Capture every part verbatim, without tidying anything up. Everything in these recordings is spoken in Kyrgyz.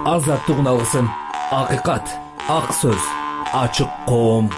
азаттыгын алгысың. Акыйкат, ак сөз, ачык коом.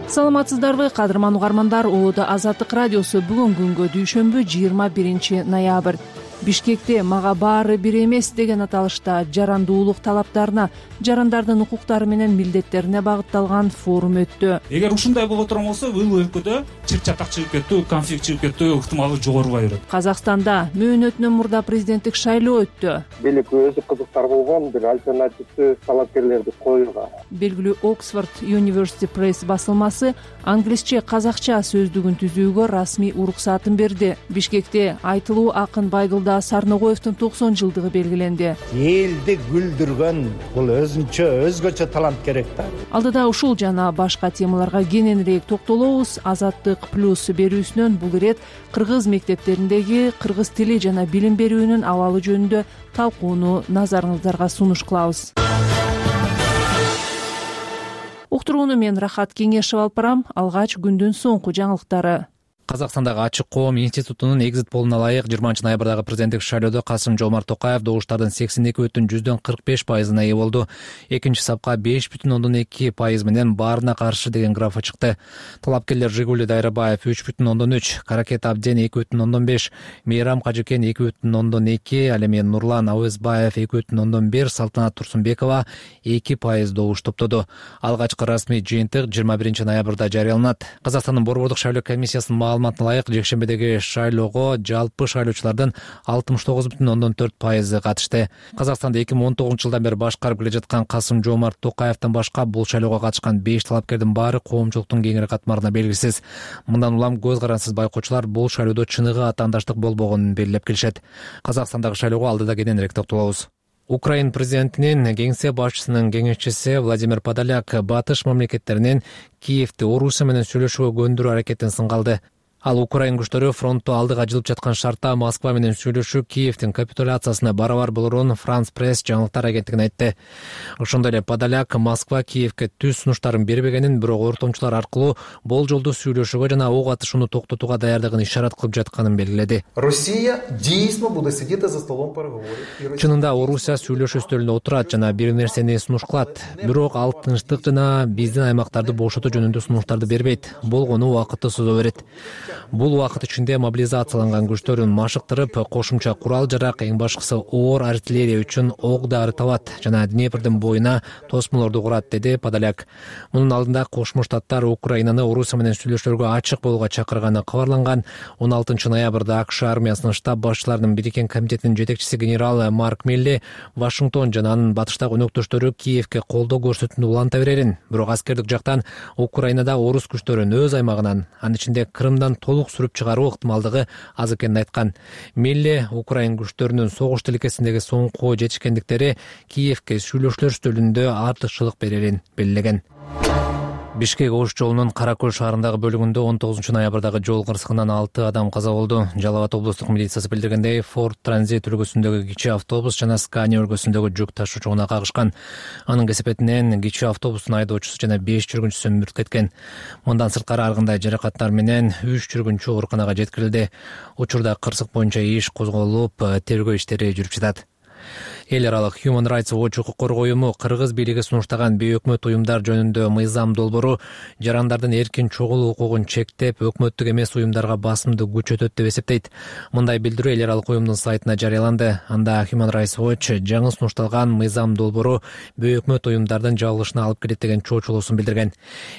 Саламатсыздарбы, кадырман угармандар. Улууда Азаттык радиосу бүгүн күнгө дүйшөмбү жыйырма биринчи ноябрь. Бишкекте мага баары бир эмес деген аталышта жарандуулук талаптарына, жарандардын укуктары менен милдеттерине багытталган форум өттү. Эгер ушундай боло турган болсо, ыл өлкөдө чыр-чатак чыгып кеттүү, конфликт чыгып кеттүү ыктымалы жогорубай берет. Казакстанда мөөнөтүнөн мурда президенттик шайлоо өттү. Бийлик өзү кызыктар болгон бир альтернативдүү талапкерлерди коюуга. Белгилүү Оксфорд University Press басылмасы англисче казакча сөздүгүн түзүүгө расмий уруксатын берди. Бишкекте айтылуу акын Байгылда Сарногоевдун токсон жылдыгы белгиленди. Элди күлдүргөн бул өзүнчө өзгөчө талант керек да. Алдыда ушул жана башка темаларга кененирээк токтолобуз. Азаттык плюс берүүсүнөн бул ирет кыргыз мектептериндеги кыргыз тили жана билим берүүнүн абалы жөнүндө талкууну назарыңыздарга сунуш кылабыз. Уктурууну мен Рахат Кеңешев алып барам. Алгач күндүн соңку жаңылыктары. Казакстандагы Ачык коом институтунун экзит полуна ылайык жыйырманчы ноябрдагы президенттик шайлоодо Касым-Жомарт Токаев добуштардын сексен эки бүтүн жүздөн кырк беш пайызына ээ болду. Экинчи сапка беш бүтүн ондон эки пайыз менен баарына каршы деген графа чыкты. Талапкерлер Жигули Дайрабаев үч бүтүн ондон үч, Каракет Абден эки бүтүн ондон беш, Мейрам Кажыкен эки бүтүн ондон эки, ал эми Нурлан Ауызбаев эки бүтүн ондон бир, Салтанат Турсунбекова эки пайыз добуш топтоду. Алгачкы расмий жыйынтык жыйырма биринчи ноябрда жарыяланат. Казакстандын Борбордук шайлоо комиссиясынын маалыматына ылайык жекшембедеги шайлоого жалпы шайлоочулардын алтымыш тогуз бүтүн ондон төрт пайызы катышты. Казакстанда эки миң он тогузунчу жылдан бери башкарып келе жаткан Касым-Жомарт Токаевден башка бул шайлоого катышкан беш талапкердин баары коомчулуктун кеңири катмарына белгисиз. Мындан улам көз карансыз байкоочулар бул шайлоодо чыныгы атаандаштык болбогонун белгилеп келишет. Казакстандагы шайлоого алдыда кененирээк токтолобуз. Украин президентинин кеңсе башчысынын кеңешчиси Владимир Подоляк батыш мамлекеттеринин Киевди Орусия менен сүйлөшүүгө көндүрүү аракетин сынга алды. Ал Украин күчтөрү фронтту алдыга жылып жаткан шартта Москва менен сүйлөшүү Киевдин капитуляциясына барабар болорун Франс пресс жаңылыктар агенттигине айтты. Ошондой эле Подоляк Москва Киевге түз сунуштарын бербегенин, бирок ортомчулар аркылуу болжолдуу сүйлөшүүгө жана ок атышууну токтотууга даярдыгын ишарат кылып жатканын белгиледи. Россия действительно будет сидеть за столом переговоров. Чынында Орусия сүйлөшүү стөлүндө отурат жана бир нерсени сунуш кылат. Бирок ал тынчтык жана биздин аймактарды бошотуу жөнүндө сунуштарды бербейт. Болгону убакытты созо берет. Бул убакыт ичинде мобилизацияланган күчтөрүн машыктырып, кошумча курал жарак, эң башкысы оор артиллерия үчүн ок дары табат жана Днепрдин боюна тосмолорду курат, деди Подоляк. Мунун алдында Кошмо Штаттар Украинаны Орусия менен сүйлөшүүлөргө ачык болууга чакырганы кабарланган. он алтынчы ноябрда АКШ армиясынын штаб башчыларынын бириккен комитетинин жетекчиси генерал Марк Милли Вашингтон жана анын батыштагы өнөктөштөрү Киевге колдоо көрсөтүүнү уланта берерин, бирок аскердик жактан Украинада орус күчтөрүн өз аймагынан, анын ичинде Крымдан толук сүрүп чыгаруу ыктымалдыгы аз экенин айткан. Милли Украин күчтөрүнүн согуш тилкесиндеги соңку жетишкендиктери Киевге сүйлөшүүлөр стөлүндө артыкчылык берерин белгилеген. Бишкек Ош жолунун Кара Көл шаарындагы бөлүгүндө он тогузунчу ноябрдагы жол кырсыгынан алты адам каза болду. Жалал Абад облустук милициясы билдиргендей, Ford Transit үлгүсүндөгү кичи автобус жана Scania үлгүсүндөгү жүк ташуучуна кагышкан. Анын кесепетинен кичи автобустун айдоочусу жана беш жүргүнчүсү мүрт кеткен. Мындан сырткары ар кандай жаракаттар менен үч жүргүнчү ооруканага жеткирилди. Учурда кырсык боюнча иш козголуп, тергөө иштери жүрүп жатат. Эл аралык Human Rights Watch укук коргоо уюму кыргыз бийлиги сунуштаган бейөкмөт уюмдар жөнүндө мыйзам долбоору жарандардын эркин чогулуу укугун чектеп, өкмөттүк эмес уюмдарга басымды күч өтөт деп эсептейт. Мындай билдирүү эл аралык уюмдун сайтына жарыяланды. Анда Human Rights Watch жаңы сунушталган мыйзам долбоору бейөкмөт уюмдардын жабылышына алып келет деген чоочулуусун билдирген.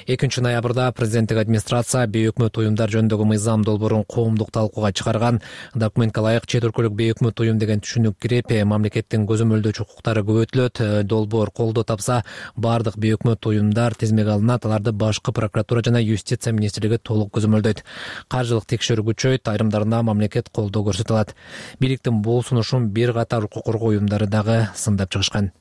экинчи ноябрда президенттик администрация бейөкмөт уюмдар жөнүндөгү мыйзам долбоорун коомдук талкууга чыгарган. Документке ылайык чет өлкөлүк бейөкмөт уюм деген түшүнүк кирип, мамлекеттин көзөмөлдөөчү укуктары көбөйтүлөт. Долбоор колдоо тапса, бардык бейөкмөт уюмдар тизмеге алынат. Аларды башкы прокуратура жана юстиция министрлиги толук көзөмөлдөйт. Каржылык текшерүү күчөйт, айрымдарына мамлекет колдоо көрсөтө алат. Бийликтин бул сунушун бир катар укук коргоо уюмдары дагы сындап чыгышкан.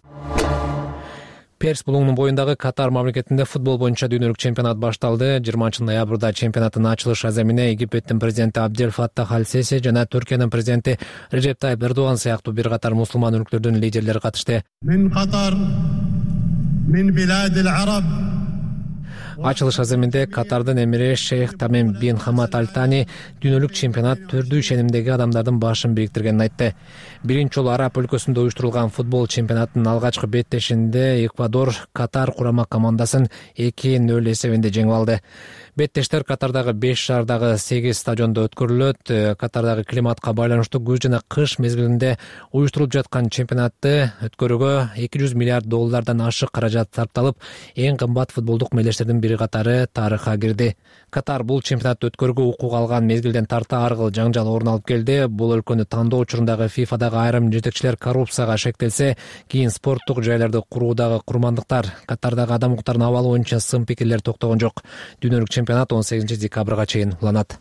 Перс булуңунун боюндагы Катар мамлекетинде футбол боюнча дүйнөлүк чемпионат башталды. жыйырманчы ноябрда чемпионаттын ачылыш аземине Египеттин президенти Абдель Фаттах Аль-Сиси жана Түркиянын президенти Режеп Тайип Эрдоган сыяктуу бир катар мусулман өлкөлөрдүн лидерлери катышты. Ачылыш аземинде Катардын эмири Шейх Тамим бин Хамад Аль Тани дүйнөлүк чемпионат түрдүү ишенимдеги адамдардын башын бириктиргенин айтты. Биринчи жолу Араб өлкөсүндө уюштурулган футбол чемпионатынын алгачкы беттешинде Эквадор Катар курама командасын эки нөл эсебинде жеңип алды. Беттештер Катардагы беш шаардагы сегиз стадиондо өткөрүлөт. Катардагы климатка байланыштуу күз жана кыш мезгилинде уюштурулуп жаткан чемпионатты өткөрүүгө эки жүз миллиард доллардан ашык каражат сарпталып, эң кымбат футболдук мелдештердин бири катары тарыхка кирди. Катар бул чемпионатты өткөрүүгө укук алган мезгилден тарта ар кыл жаңжал орун алып келди. Бул өлкөнү тандоо учурундагы фифадагы айрым жетекчилер коррупцияга шектелсе, кийин спорттук жайларды куруудагы курмандыктар, Катардагы адам укуктарынын абалы боюнча сын пикирлер токтогон жок. Дүйнөлүк чемпионат он сегизинчи декабрга чейин уланат.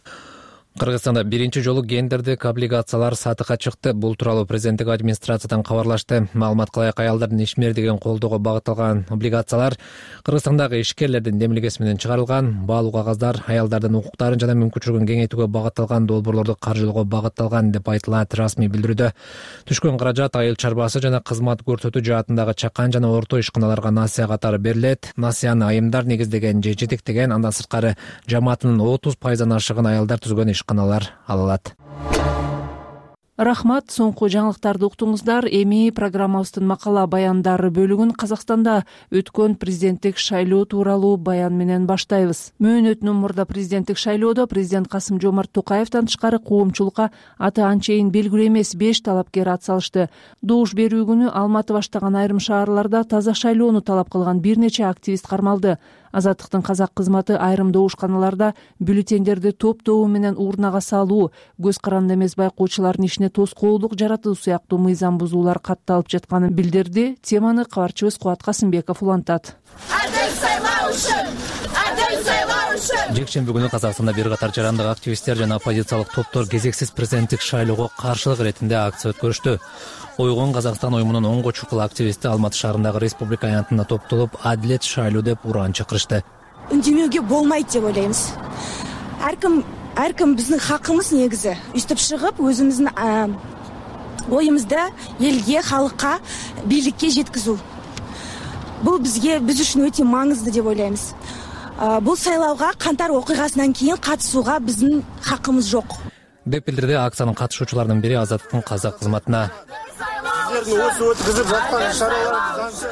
Кыргызстанда биринчи жолу гендердик облигациялар сатыкка чыкты. Бул тууралуу президенттик администрациядан кабарлашты. Маалыматка ылайык, аялдардын ишмердигин колдоого багытталган облигациялар Кыргызстандагы ишкерлердин демилгеси менен чыгарылган. Баалуу кагаздар аялдардын укуктарын жана мүмкүнчүлүгүн кеңейтүүгө багытталган долбоорлорду каржылоого багытталган деп айтылат расмий билдирүүдө. Түшкөн каражат айыл чарбасы жана кызмат көрсөтүү жаатындагы чакан жана орто ишканаларга насыя катары берилет. Насыяны айымдар негиздеген же жетектеген, андан сырткары жамаатынын отуз пайыздан ашыгын аялдар түзгөн каналар алат. Рахмат, соңку жаңылыктарды уктуңуздар. Эми программабыздын макала баяндары бөлүгүн Казакстанда өткөн президенттик шайлоо тууралуу баян менен баштайбыз. Мөөнөтүнөн мурда президенттик шайлоодо президент Касым Жомарт Токаевден тышкары коомчулукка аты анчейин белгилүү эмес беш талапкер ат салышты. Добуш берүү күнү Алматы баштаган айрым шаарларда таза шайлоону талап кылган бир нече активист кармалды. Азаттыктын казак кызматы айрым добушканаларда бюллетендерди топ-тобу менен урнага салуу, көз каранды эмес байкоочулардын ишине тоскоолдук жаратуу сыяктуу мыйзам бузуулар катталып жатканын билдирди. Теманы кабарчыбыз Кубат Касымбеков улантат. Жекшемби күнү Казакстанда бир катар жарандык активисттер жана оппозициялык топтор кезексиз президенттик шайлоого каршылык иретинде акция өткөрүштү. Ойгон Казакстан оюмунун онго чукул активисти Алматы шаарындагы республика аянтына топтолуп, адилет шайлоо деп уран чакырышты. Үндемөөгө болмойт деп ойлойбуз. Ар ким ар ким биздин хакыбыз негизи үстүп чыгып, өзүбүздүн оюмузду элге, халыкка, бийликке жеткизүү. Бул бизге биз үчүн өтө маңызды деп ойлойбуз. Бул сайлоого кантар окуйгасынан кийин катышууга биздин хакыбыз жок деп билдирди акциянын катышуучуларынын бири Азаттыктын казак кызматына.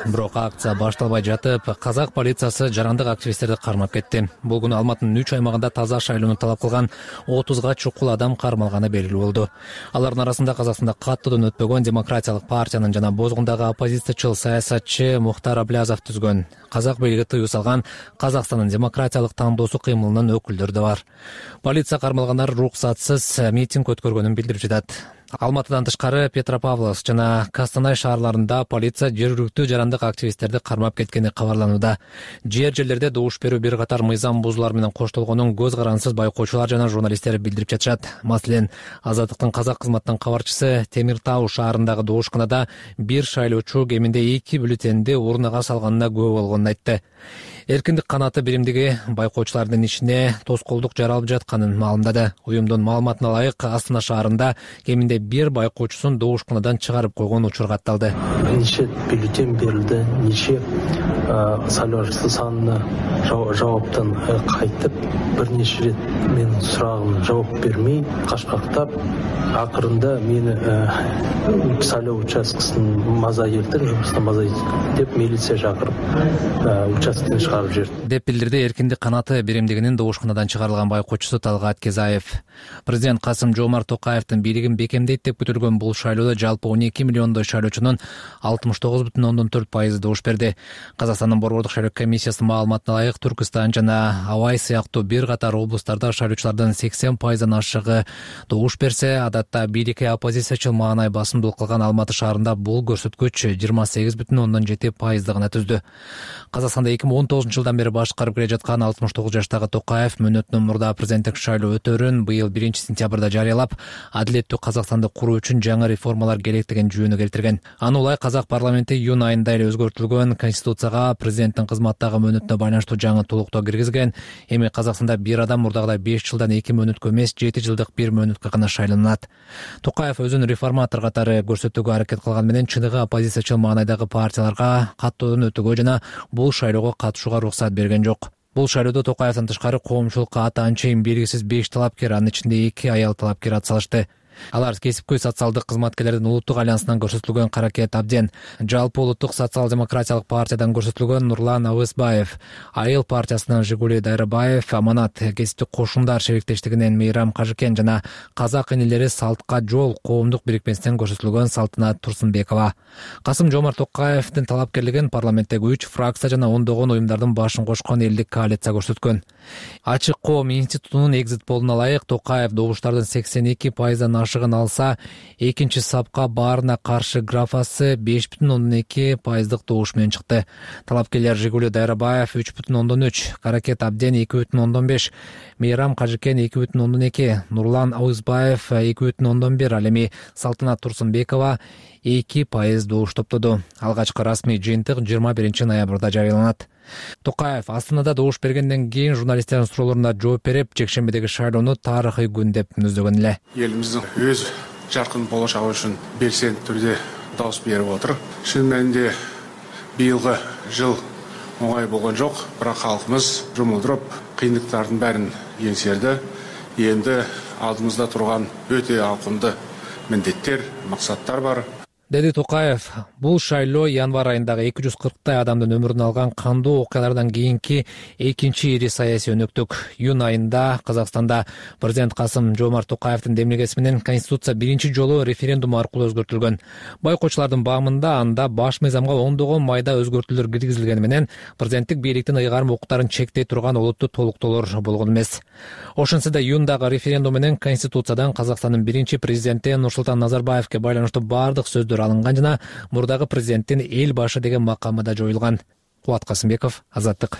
Бирок акция башталбай жатып, казак полициясы жарандык активисттерди кармап кетти. Бул күнү Алматынын үч аймагында таза шайлоону талап кылган отузга чукул адам кармалганы белгилүү болду. Алардын арасында Казакстанда каттоодон өтпөгөн Демократиялык партиянын жана Бозгундагы оппозициячыл саясатчы Мухтар Аблязов түзгөн, казак бийлиги тыюу салган Казакстандын демократиялык тандоосу кыймылынын өкүлдөрү да бар. Полиция кармалгандар руксатсыз митинг өткөргөнүн билдирип жатат. Алматыдан тышкары Петропавловск жана Костанай шаарларында полиция жергиликтүү жарандык активисттерди кармап кеткени кабарланууда. Жер жерлерде добуш берүү бир катар мыйзам бузуулар менен коштолгонун көз карансыз байкоочулар жана журналисттер билдирип жатышат. Маселен, Азаттыктын казак кызматынын кабарчысы Темир Тау шаарындагы добушканада бир шайлоочу кеминде эки бюллетенди урнага салганына күбө болгонун айтты. Эркиндик канаты биримдиги байкоочулардын ишине тоскоолдук жаралып жатканын маалымдады. Уюмдун маалыматына ылайык, Астана шаарында кеминде бир байкоочусун добушканадан чыгарып койгон учур катталды. Нече бюллетен берилди, нече сайлоочу санына жауаптан кайтып, бир нече рет менин сурагыма жооп бермей, кашкактап, акырында мени сайлоо участкасынын маза келтирип, жумуштан маза деп милиция чакырып, участкени чыгарып жиберди деп билдирди эркиндик канаты биримдигинин добушканадан чыгарылган байкоочусу Талгат Кезаев. Президент Касым Жомарт Токаевдин бийлигин бекемдейт деп күтүлгөн бул шайлоодо жалпы он эки миллиондой шайлоочунун алтымыш тогуз бүтүн ондон төрт пайызы добуш берди. Казакстандын борбордук шайлоо комиссиясынын маалыматына ылайык, Түркүстан жана Абай сыяктуу бир катар облустарда шайлоочулардын сексен пайыздан ашыгы добуш берсе, адатта бийликке оппозициячыл маанай басымдуулук кылган Алматы шаарында бул көрсөткүч жыйырма сегиз бүтүн ондон жети пайызды гана түздү. Казакстанда эки миң он тогузунчу жылдан бери башкарып келе жаткан алтымыш тогуз жаштагы Токаев мөөнөтүнөн мурда президенттик шайлоо өтөрүн быйыл биринчи сентябрда жарыялап, адилеттүү Казакстанды куруу үчүн жаңы реформалар керектигин жөнү келтирген. Аны улай казак парламенти июнь айында эле өзгөртүлгөн конституцияга президенттин кызматтагы мөөнөтүнө байланыштуу жаңы толуктоо киргизген. Эми Казакстанда бир адам мурдагыдай беш жылдан эки мөөнөткө эмес, жети жылдык бир мөөнөткө гана шайланат. Токаев өзүн реформатор катары көрсөтүүгө аракет кылган менен чыныгы оппозициячыл маанайдагы партияларга каттоодон өтүүгө жана бул шайлоого катышууга уруксат берген жок. Бул шайлоодо Токаевден тышкары коомчулукка аты анчейин белгисиз беш талапкер, анын ичинде эки аял талапкер атсалышты. Алар кесипкөй социалдык кызматкерлердин улуттук альянсынан көрсөтүлгөн Каракет Абден, жалпы улуттук социал-демократиялык партиядан көрсөтүлгөн Нурлан Абысбаев, Айыл партиясынан Жигули Дайрабаев, Аманат кесиптик кошундар шериктештигинен Мейрам Кажыкен жана Казак энелери Салтка жол коомдук бирикмесинен көрсөтүлгөн Салтанат Турсунбекова. Касым-Жомарт Токаевдин талапкерлигин парламенттеги үч фракция жана ондогон уюмдардын башын кошкон элдик коалиция көрсөткөн. Ачык коом институтунун экзит полуна ылайык Токаев добуштардын сексен эки пайыздан ашыгын алса, экинчи сапка баарына каршы графасы беш бүтүн ондон эки пайыздык добуш менен чыкты. Талапкерлер Жигули Дайрабаев үч бүтүн ондон үч, Каракет Абден эки бүтүн ондон беш, Мейрам Кажыкен эки бүтүн ондон эки, Нурлан Абысбаев эки бүтүн ондон бир, ал эми Салтанат Турсунбекова эки пайыз добуш топтоду. Алгачкы расмий жыйынтык жыйырма биринчи ноябрда жарыяланат. Токаев Астанада добуш бергенден кийин журналисттердин суроолоруна жооп берип, жекшембидеги шайлоону тарыхый күн деп мүнөздөгөн эле. Элибиздин өз жаркын болочогу үчүн белсенди түрдө добуш берип отур. Чын мээнде быйылгы жыл оңой болгон жок, бирок халкыбыз жумулдуруп, кыйынчылыктардын баарын эңсерди. Энди алдыбызда турган өтө ауқымды міндеттер, максаттар бар. Деди Токаев, бул шайлоо январь айындагы эки жүз кырктай адамдын өмүрүн алган кандуу окуялардан кийинки экинчи ири саясий өнөктүк. Июнь айында Казакстанда президент Касым-Жомарт Токаевдин демилгеси менен Конституция биринчи жолу референдум аркылуу өзгөртүлгөн. Байкоочулардын баамында анда баш мыйзамга ондогон майда өзгөртүүлөр киргизилгени менен президенттик бийликтин ыйгарым укуктарын чектей турган олуттуу толуктоолор болгон эмес. Ошентсе да июндагы референдум менен Конституциядан Казакстандын биринчи президенти Нурсултан Назарбаевке байланыштуу бардык сөздөр алынган жана мурдагы президенттин эл башы деген макамы да жоюлган. Кубат Касымбеков, Азаттык.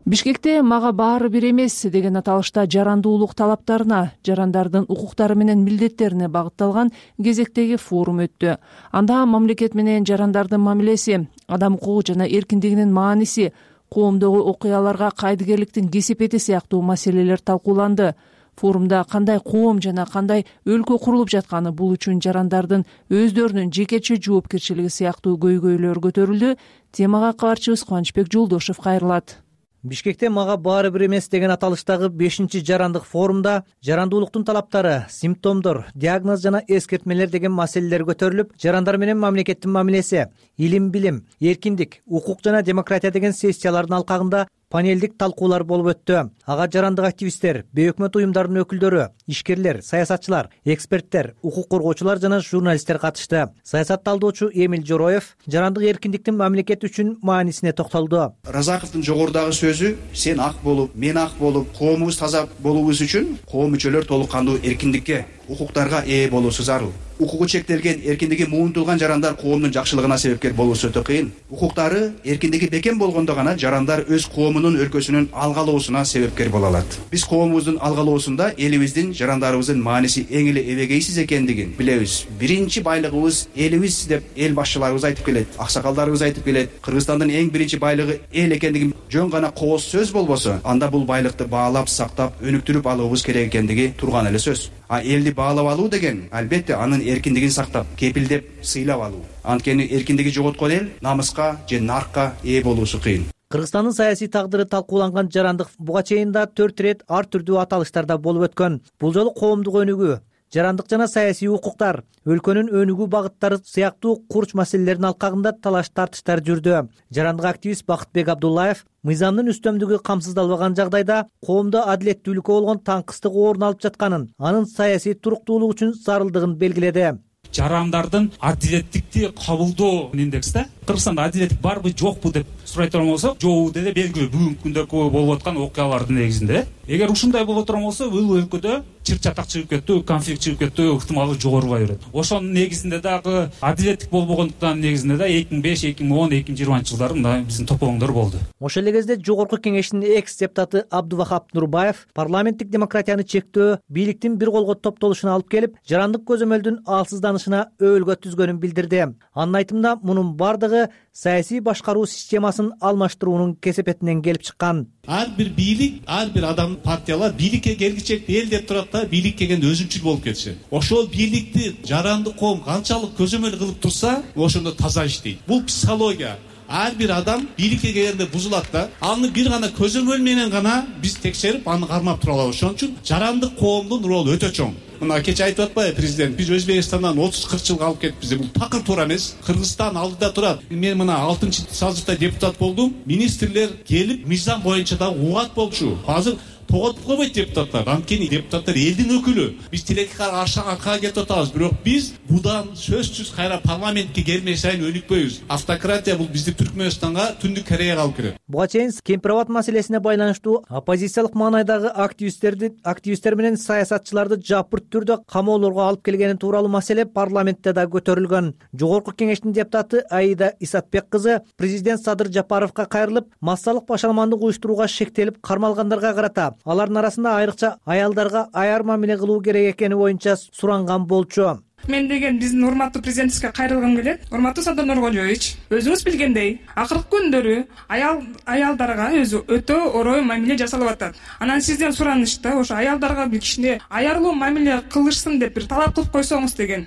Бишкекте мага баары бир эмес деген аталышта жарандуулук талаптарына, жарандардын укуктары менен милдеттерине багытталган кезектеги форум өттү. Анда мамлекет менен жарандардын мамилеси, адам укугу жана эркиндигинин мааниси, коомдогу окуяларга кайдыгерликтин кесепети сыяктуу маселелер талкууланды. Форумда кандай коом жана кандай өлкө курулуп жатканы, бул үчүн жарандардын өздөрүнүн жекече жоопкерчилиги сыяктуу көйгөйлөр көтөрүлдү. Темага кабарчыбыз Кубанычбек Жолдошев кайрылат. Бишкекте мага баары бир эмес деген аталыштагы бешинчи жарандык форумда жарандуулуктун талаптары, симптомдор, диагноз жана эскертмелер деген маселелер көтөрүлүп, жарандар менен мамлекеттин мамилеси, илим, билим, эркиндик, укук жана демократия деген сессиялардын алкагында панелдик талкуулар болуп өттү. Ага жарандык активисттер, бейөкмөт уюмдардын өкүлдөрү, ишкерлер, саясатчылар, эксперттер, укук коргоочулар жана журналисттер катышты. Саясат талдоочу Эмил Жороев жарандык эркиндиктин мамлекет үчүн маанисине токтолду. Разаковдун жогорудагы сөзү, сен ак болуп, мен ак болуп, коомубуз таза болуубуз үчүн коом мүчөлөр толук кандуу эркиндикке, укуктарга ээ болуусу зарыл. Укугу чектелген, эркиндиги муунтулган жарандар коомдун жакшылыгына себепкер болуусу өтө кыйын. Укуктары, эркиндиги бекем болгондо гана жарандар өз коомунун, өлкөсүнүн алгалоосуна себепкер боло алат. Биз коомубуздун алгалоосунда элибиздин, жарандарыбыздын мааниси эң эле эбегейсиз экендигин билебиз. Биринчи байлыгыбыз элибиз деп эл башчыларыбыз айтып келет, аксакалдарыбыз айтып келет. Кыргызстандын эң биринчи байлыгы эл экендигин жөн гана кооз сөз болбосо, анда бул байлыкты баалап, сактап, өнүктүрүп алуубуз керек экендиги турган эле сөз. А элди баалап алуу деген, албетте, анын эркиндигин сактап, кепилдеп, сыйлап алуу. Анткени эркиндиги жоготкон эл намыска же наркка ээ болуусу кыйын. Кыргызстандын саясий тагдыры талкууланган жарандык буга чейин да төрт ирет ар түрдүү аталыштарда болуп өткөн. Бул жолу коомдук өнүгүү, жарандык жана саясий укуктар, өлкөнүн өнүгүү багыттары сыяктуу курч маселелердин алкагында талаш тартыштар жүрдү. Жарандык активист Бакытбек Абдуллаев мыйзамдын үстөмдүгү камсыздалбаган жагдайда коомдо адилеттүүлүккө болгон таңкыстык орун алып жатканын, анын саясий туруктуулук үчүн зарылдыгын белгиледи. Жарандардын адилеттикти кабылдоо индексте Кыргызстанда адилеттик барбы жокпу деп сурай турган болсок, жокпу деде белгилүү бүгүнкү күндө болуп аткан окуялардын негизинде. Эгер ушундай боло турган болсо, бул өлкөдө чыр чатак чыгып кеттүү, конфликт чыгып кеттүү ыктымалы жогорубай берет. Ошонун негизинде дагы адилеттик болбогондуктан негизинде да эки миң беш, эки миң он, эки миң жыйырманчы жылдары мына биздин топоңдор болду. Ошол эле кезде жогорку кеңештин экс депутаты Абдувахап Нурбаев парламенттик демократияны чектөө, бийликтин бир колго топтолушуна алып келип, жарандык көзөмөлдүн алсызданышына өбөлгө түзгөнүн билдирди. Анын айтымында, мунун бардыгы дагы саясий башкаруу системасын алмаштыруунун кесепетинен келип чыккан. Ар бир бийлик, ар бир адам, партиялар бийликке келгичек эл деп турат да, бийлик келгенде өзүнчүл болуп кетишет. Ошол бийликти жаранды коом канчалык көзөмөл кылып турса, ошондо таза иштейт. Бул психология. Ар бир адам бийликке келгенде бузулат да, аны бир гана көзөмөл менен гана биз текшерип, аны кармап тура алабыз. Ошон үчүн жарандык коомдун ролу өтө чоң. Мына кече айтып атпайбы президент, биз Өзбекстандан отуз кырк жылга алып кетипиз деп. Бул такыр туура эмес. Кыргызстан алдыда турат. Мен мына алтынчы сазывда депутат болдум. Министрлер келип мыйзам боюнча да угат болчу. Азыр тоготуп койбойт депутаттар. Анткени депутаттар элдин өкүлү. Биз тилекке аркага кетип атабыз, бирок биз будан сөзсүз кайра парламентке келмей сайын өнүкпөйбүз. Автократия бул бизди Түркмөнстанга, Түндүк Кореяга алып келет. Буга чейин Кемпир-Абад маселесине байланыштуу оппозициялык маанайдагы активисттерди, активисттер менен саясатчыларды жапырт түрдө камоолорго алып келгени тууралуу маселе парламентте да көтөрүлгөн. Жогорку кеңештин депутаты Аида Исатбек кызы президент Садыр Жапаровго кайрылып, массалык башаламандык уюштурууга шектелип кармалгандарга карата алардын арасында айрыкча аялдарга аяр мамиле кылуу керек экени боюнча суранган болчу. Мен деген биздин урматтуу президентибизге кайрылгым келет. Урматтуу Садыр Нуркожоевич, өзүңүз билгендей, акыркы күндөрү аял аялдарга өзү өтө орой мамиле жасалып атат. Анан сизден суранышта ошо аялдарга бир кичине аярлуу мамиле кылышсын деп бир талап кылып койсоңуз деген.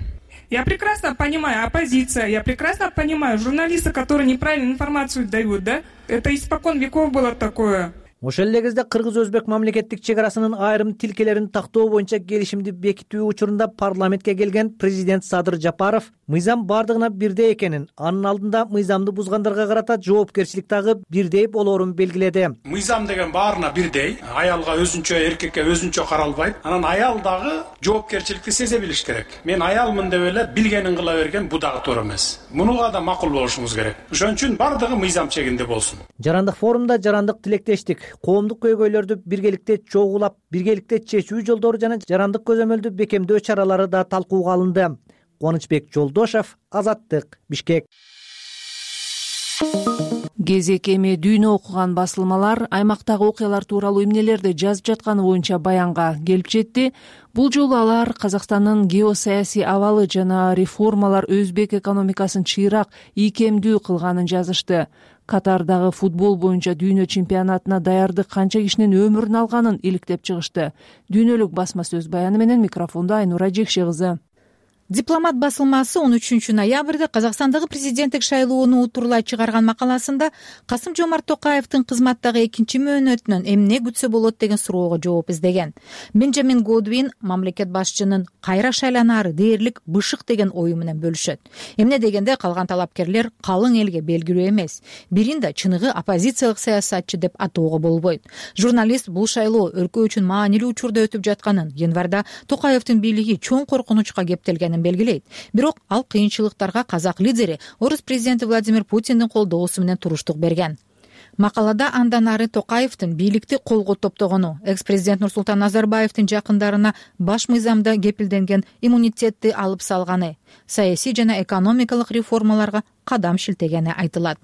Я прекрасно понимаю оппозиция, я прекрасно понимаю журналисты, которые неправильную информацию дают, да? Это испокон веков было такое. Ошол эле кезде кыргыз-өзбек мамлекеттик чек арасынын айрым тилкелерин тактоо боюнча келишимди бекитүү учурунда парламентке келген президент Садыр Жапаров мыйзам бардыгына бирдей экенин, анын алдында мыйзамды бузгандарга карата жоопкерчилик дагы бирдей болоорун белгиледи. Мыйзам деген баарына бирдей, аялга өзүнчө, эркекке өзүнчө каралбайт. Анан аял дагы жоопкерчиликти сезе билиш керек. Мен аялмын деп эле билгенин кыла берген бу дагы туура эмес. Мунуга да макул болушуңуз керек. Ошон үчүн бардыгы мыйзам чегинде болсун. Жарандык форумда жарандык тилектештик, коомдук көйгөйлөрдү биргеликте чогулап, биргеликте чечүү жолдору жана жарандык көзөмөлдү бекемдөө чаралары да талкууга алынды. Кубанычбек Жолдошев, Азаттык, Бишкек. Кезек эми дүйнө окуган басылмалар аймактагы окуялар тууралуу эмнелерди жазып жатканы боюнча баянга келип жетти. Бул жолу алар Казакстандын геосаясий абалы жана реформалар өзбек экономикасын чыйрак ийкемдүү кылганын жазышты. Катардагы футбол боюнча дүйнө чемпионатына даярдык канча кишинин өмүрүн алганын иликтеп чыгышты. Дүйнөлүк басма сөз баяны менен микрофондо Айнура Жекше кызы. Дипломат басылмасы он үчүнчү ноябрда Казакстандагы президенттик шайлоону утурлай чыгарган макаласында Касым-Жомарт Токаевдин кызматтагы экинчи мөөнөтүнөн эмне күтсө болот деген суроого жооп издеген. Бенджамин Годвин мамлекет башчынын кайра шайланары дээрлик бышык деген ою менен бөлүшөт. Эмне дегенде калган талапкерлер калың элге белгилүү эмес. Бирин да чыныгы оппозициялык саясатчы деп атоого болбойт. Журналист бул шайлоо өлкө үчүн маанилүү учурда өтүп жатканын, январда Токаевдин бийлиги чоң коркунучка кептелгенин белгилейт. Бирок ал кыйынчылыктарга казак лидери орус президенти Владимир Путиндин колдоосу менен туруштук берген. Макалада андан ары Токаевдин бийликти колго топтогону, экс-президент Нурсултан Назарбаевдин жакындарына баш мыйзамда кепилденген иммунитетти алып салганы, саясий жана экономикалык реформаларга кадам шилтегени айтылат.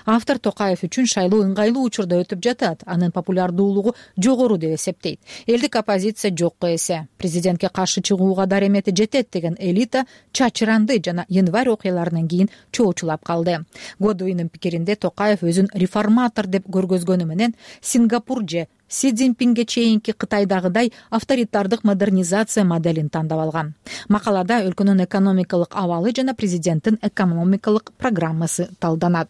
Автор Токаев үчүн шайлоо ыңгайлуу учурда өтүп жатат, анын популярдуулугу жогору деп эсептейт. Элдик оппозиция жокко эсе. Президентке каршы чыгууга даремети жетет деген элита чачыранды жана январь окуяларынан кийин чоочулап калды. Годвиндин пикиринде Токаев өзүн реформатор деп көргөзгөнү менен Сингапур же Си Цзиньпинге чейинки Кытайдагыдай авторитардык модернизация моделин тандап алган. Макалада өлкөнүн экономикалык абалы жана президенттин экономикалык программасы талданат.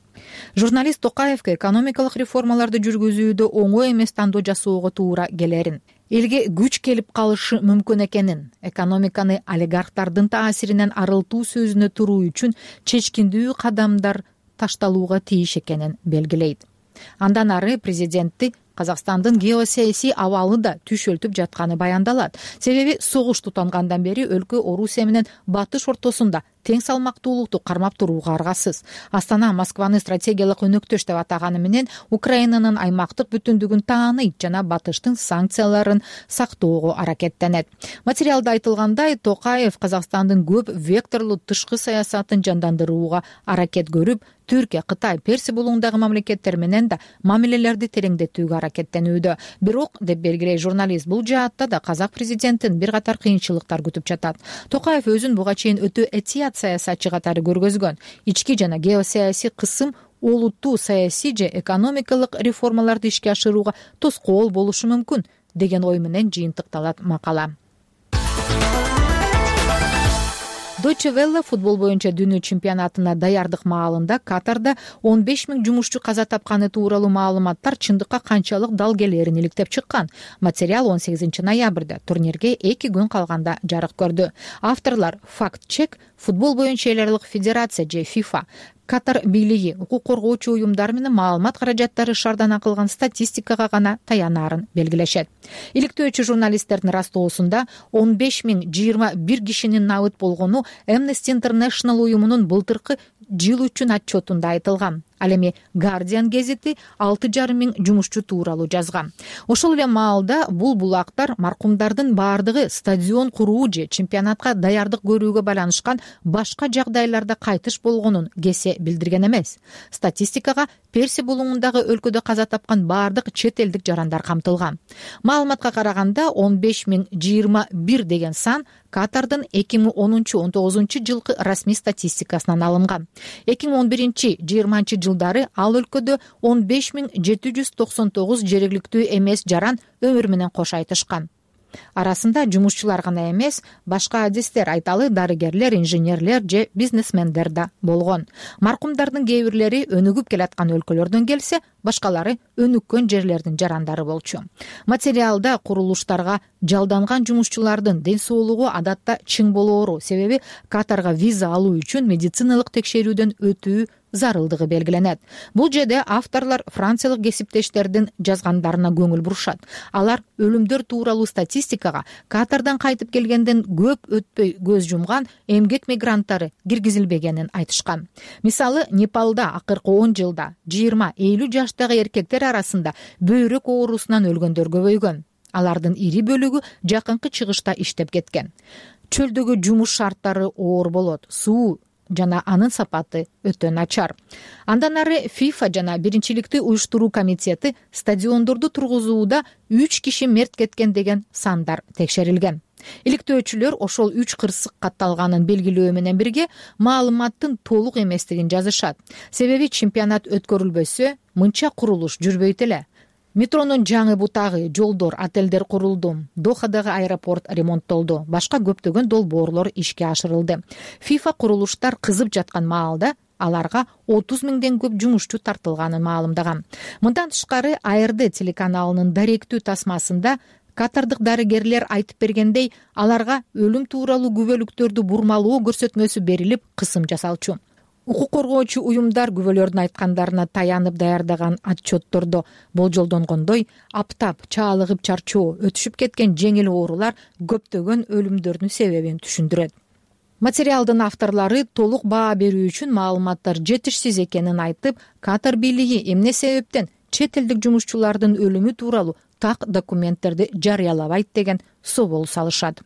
Журналист Токаевке экономикалык реформаларды жүргүзүүдө оңой эмес тандоо жасоого туура келерин, элге күч келип калышы мүмкүн экенин, экономиканы олигархтардын таасиринен арылтуу сөзүнө туруу үчүн чечкиндүү кадамдар ташталууга тийиш экенин белгилейт. Андан ары президентти Казакстандын геосаясий абалы да түшөлтүп жатканы баяндалат. Себеби согуш тутангандан бери өлкө Орусия менен батыш ортосунда тең салмактуулукту кармап турууга аргасыз. Астана Москваны стратегиялык өнөктөш деп атаганы менен Украинанын аймактык бүтүндүгүн тааныйт жана батыштын санкцияларын сактоого аракеттенет. Материалда айтылгандай, Токаев Казакстандын көп векторлуу тышкы саясатын жандандырууга аракет көрүп, Түркия, Кытай, Перси булуңундагы мамлекеттер менен да мамилелерди тереңдетүүгө аракеттенүүдө. Бирок, деп белгилейт журналист, бул жаатта да казак президентин бир катар кыйынчылыктар күтүп жатат. Токаев өзүн буга чейин өтө этият кандидат саясатчы катары көргөзгөн. Ички жана геосаясий кысым олуттуу саясий же экономикалык реформаларды ишке ашырууга тоскоол болушу мүмкүн деген ой менен жыйынтыкталат макала. Deutsche Welle футбол боюнча дүйнө чемпионатына даярдык маалында Катарда он беш миң жумушчу каза тапканы тууралуу маалыматтар чындыкка канчалык дал келерин иликтеп чыккан. Материал он сегизинчи ноябрда турнирге эки күн калганда жарык көрдү. Авторлор Fact Check, футбол боюнча эл аралык федерация же FIFA, Катар бийлиги, укук коргоочу уюмдар менен маалымат каражаттары шаардан кылган статистикага гана таянаарын белгилешет. Иликтөөчү журналисттердин растоосунда он беш миң жыйырма бир кишинин набыт болгону Amnesty International уюмунун былтыркы жыл үчүн отчетунда айтылган. Ал эми Guardian гезити алты жарым миң жумушчу тууралуу жазган. Ошол эле маалда бул булактар маркумдардын баардыгы стадион куруу же чемпионатка даярдык көрүүгө байланышкан башка жагдайларда кайтыш болгонун кесе билдирген эмес. Статистикага Перси булуңундагы өлкөдө каза тапкан баардык чет элдик жарандар камтылган. Маалыматка караганда он беш миң жыйырма бир деген сан Катардын эки миң онунчу он тогузунчу жылкы расмий статистикасынан алынган. эки миң он биринчи жыйырманчы жылдары ал өлкөдө он беш миң жети жүз токсон тогуз жергиликтүү эмес жаран өмүр менен кош айтышкан. Арасында жумушчулар гана эмес, башка адистер айталы дарыгерлер, инженерлер же бизнесмендер да болгон. Маркумдардын кээ бирлери өнүгүп келаткан өлкөлөрдөн келсе, башкалары өнүккөн жерлердин жарандары болчу. Материалда курулуштарга жалданган жумушчулардын ден соолугу адатта чың болоору, себеби Катарга виза алуу үчүн медициналык текшерүүдөн өтүү зарылдыгы белгиленет. Бул жерде авторлор франциялык кесиптештердин жазгандарына көңүл бурушат. Алар өлүмдөр тууралуу статистикага Катардан кайтып келгенден көп өтпөй көз жумган эмгек мигранттары киргизилбегенин айтышкан. Мисалы, Непалда акыркы он жылда жыйырма элүү жаштагы эркектер арасында бөйрөк оорусунан өлгөндөр көбөйгөн. Алардын ири бөлүгү жакынкы чыгышта иштеп кеткен. Чөлдөгү жумуш шарттары оор болот. Суу жана анын сапаты өтө начар. Андан ары FIFA жана биринчиликти уюштуруу комитети стадиондорду тургузууда үч киши мерт кеткен деген сандар текшерилген. Иликтөөчүлөр ошол үч кырсык катталганын белгилөө менен бирге маалыматтын толук эместигин жазышат. Себеби чемпионат өткөрүлбөсө, мынча курулуш жүрбөйт эле. Метронун жаңы бутагы, жолдор, отелдер курулду. Дохадагы аэропорт ремонттолду. Башка көптөгөн долбоорлор ишке ашырылды. FIFA курулуштар кызып жаткан маалда аларга отуз миңден көп жумушчу тартылганын маалымдаган. Мындан тышкары А Р Д телеканалынын даректүү тасмасында катардык дарыгерлер айтып бергендей, аларга өлүм тууралуу күбөлүктөрдү бурмалоо көрсөтмөсү берилип, кысым жасалчу. Укук коргоочу уюмдар күбөлөрдүн айткандарына таянып даярдаган отчеттордо болжолдонгондой, аптап, чаалыгып чарчоо, өтүшүп кеткен жеңил оорулар көптөгөн өлүмдөрдүн себебин түшүндүрөт. Материалдын авторлору толук баа берүү үчүн маалыматтар жетишсиз экенин айтып, Катар бийлиги эмне себептен чет элдик жумушчулардын өлүмү тууралуу так документтерди жарыялабайт деген собол салышат.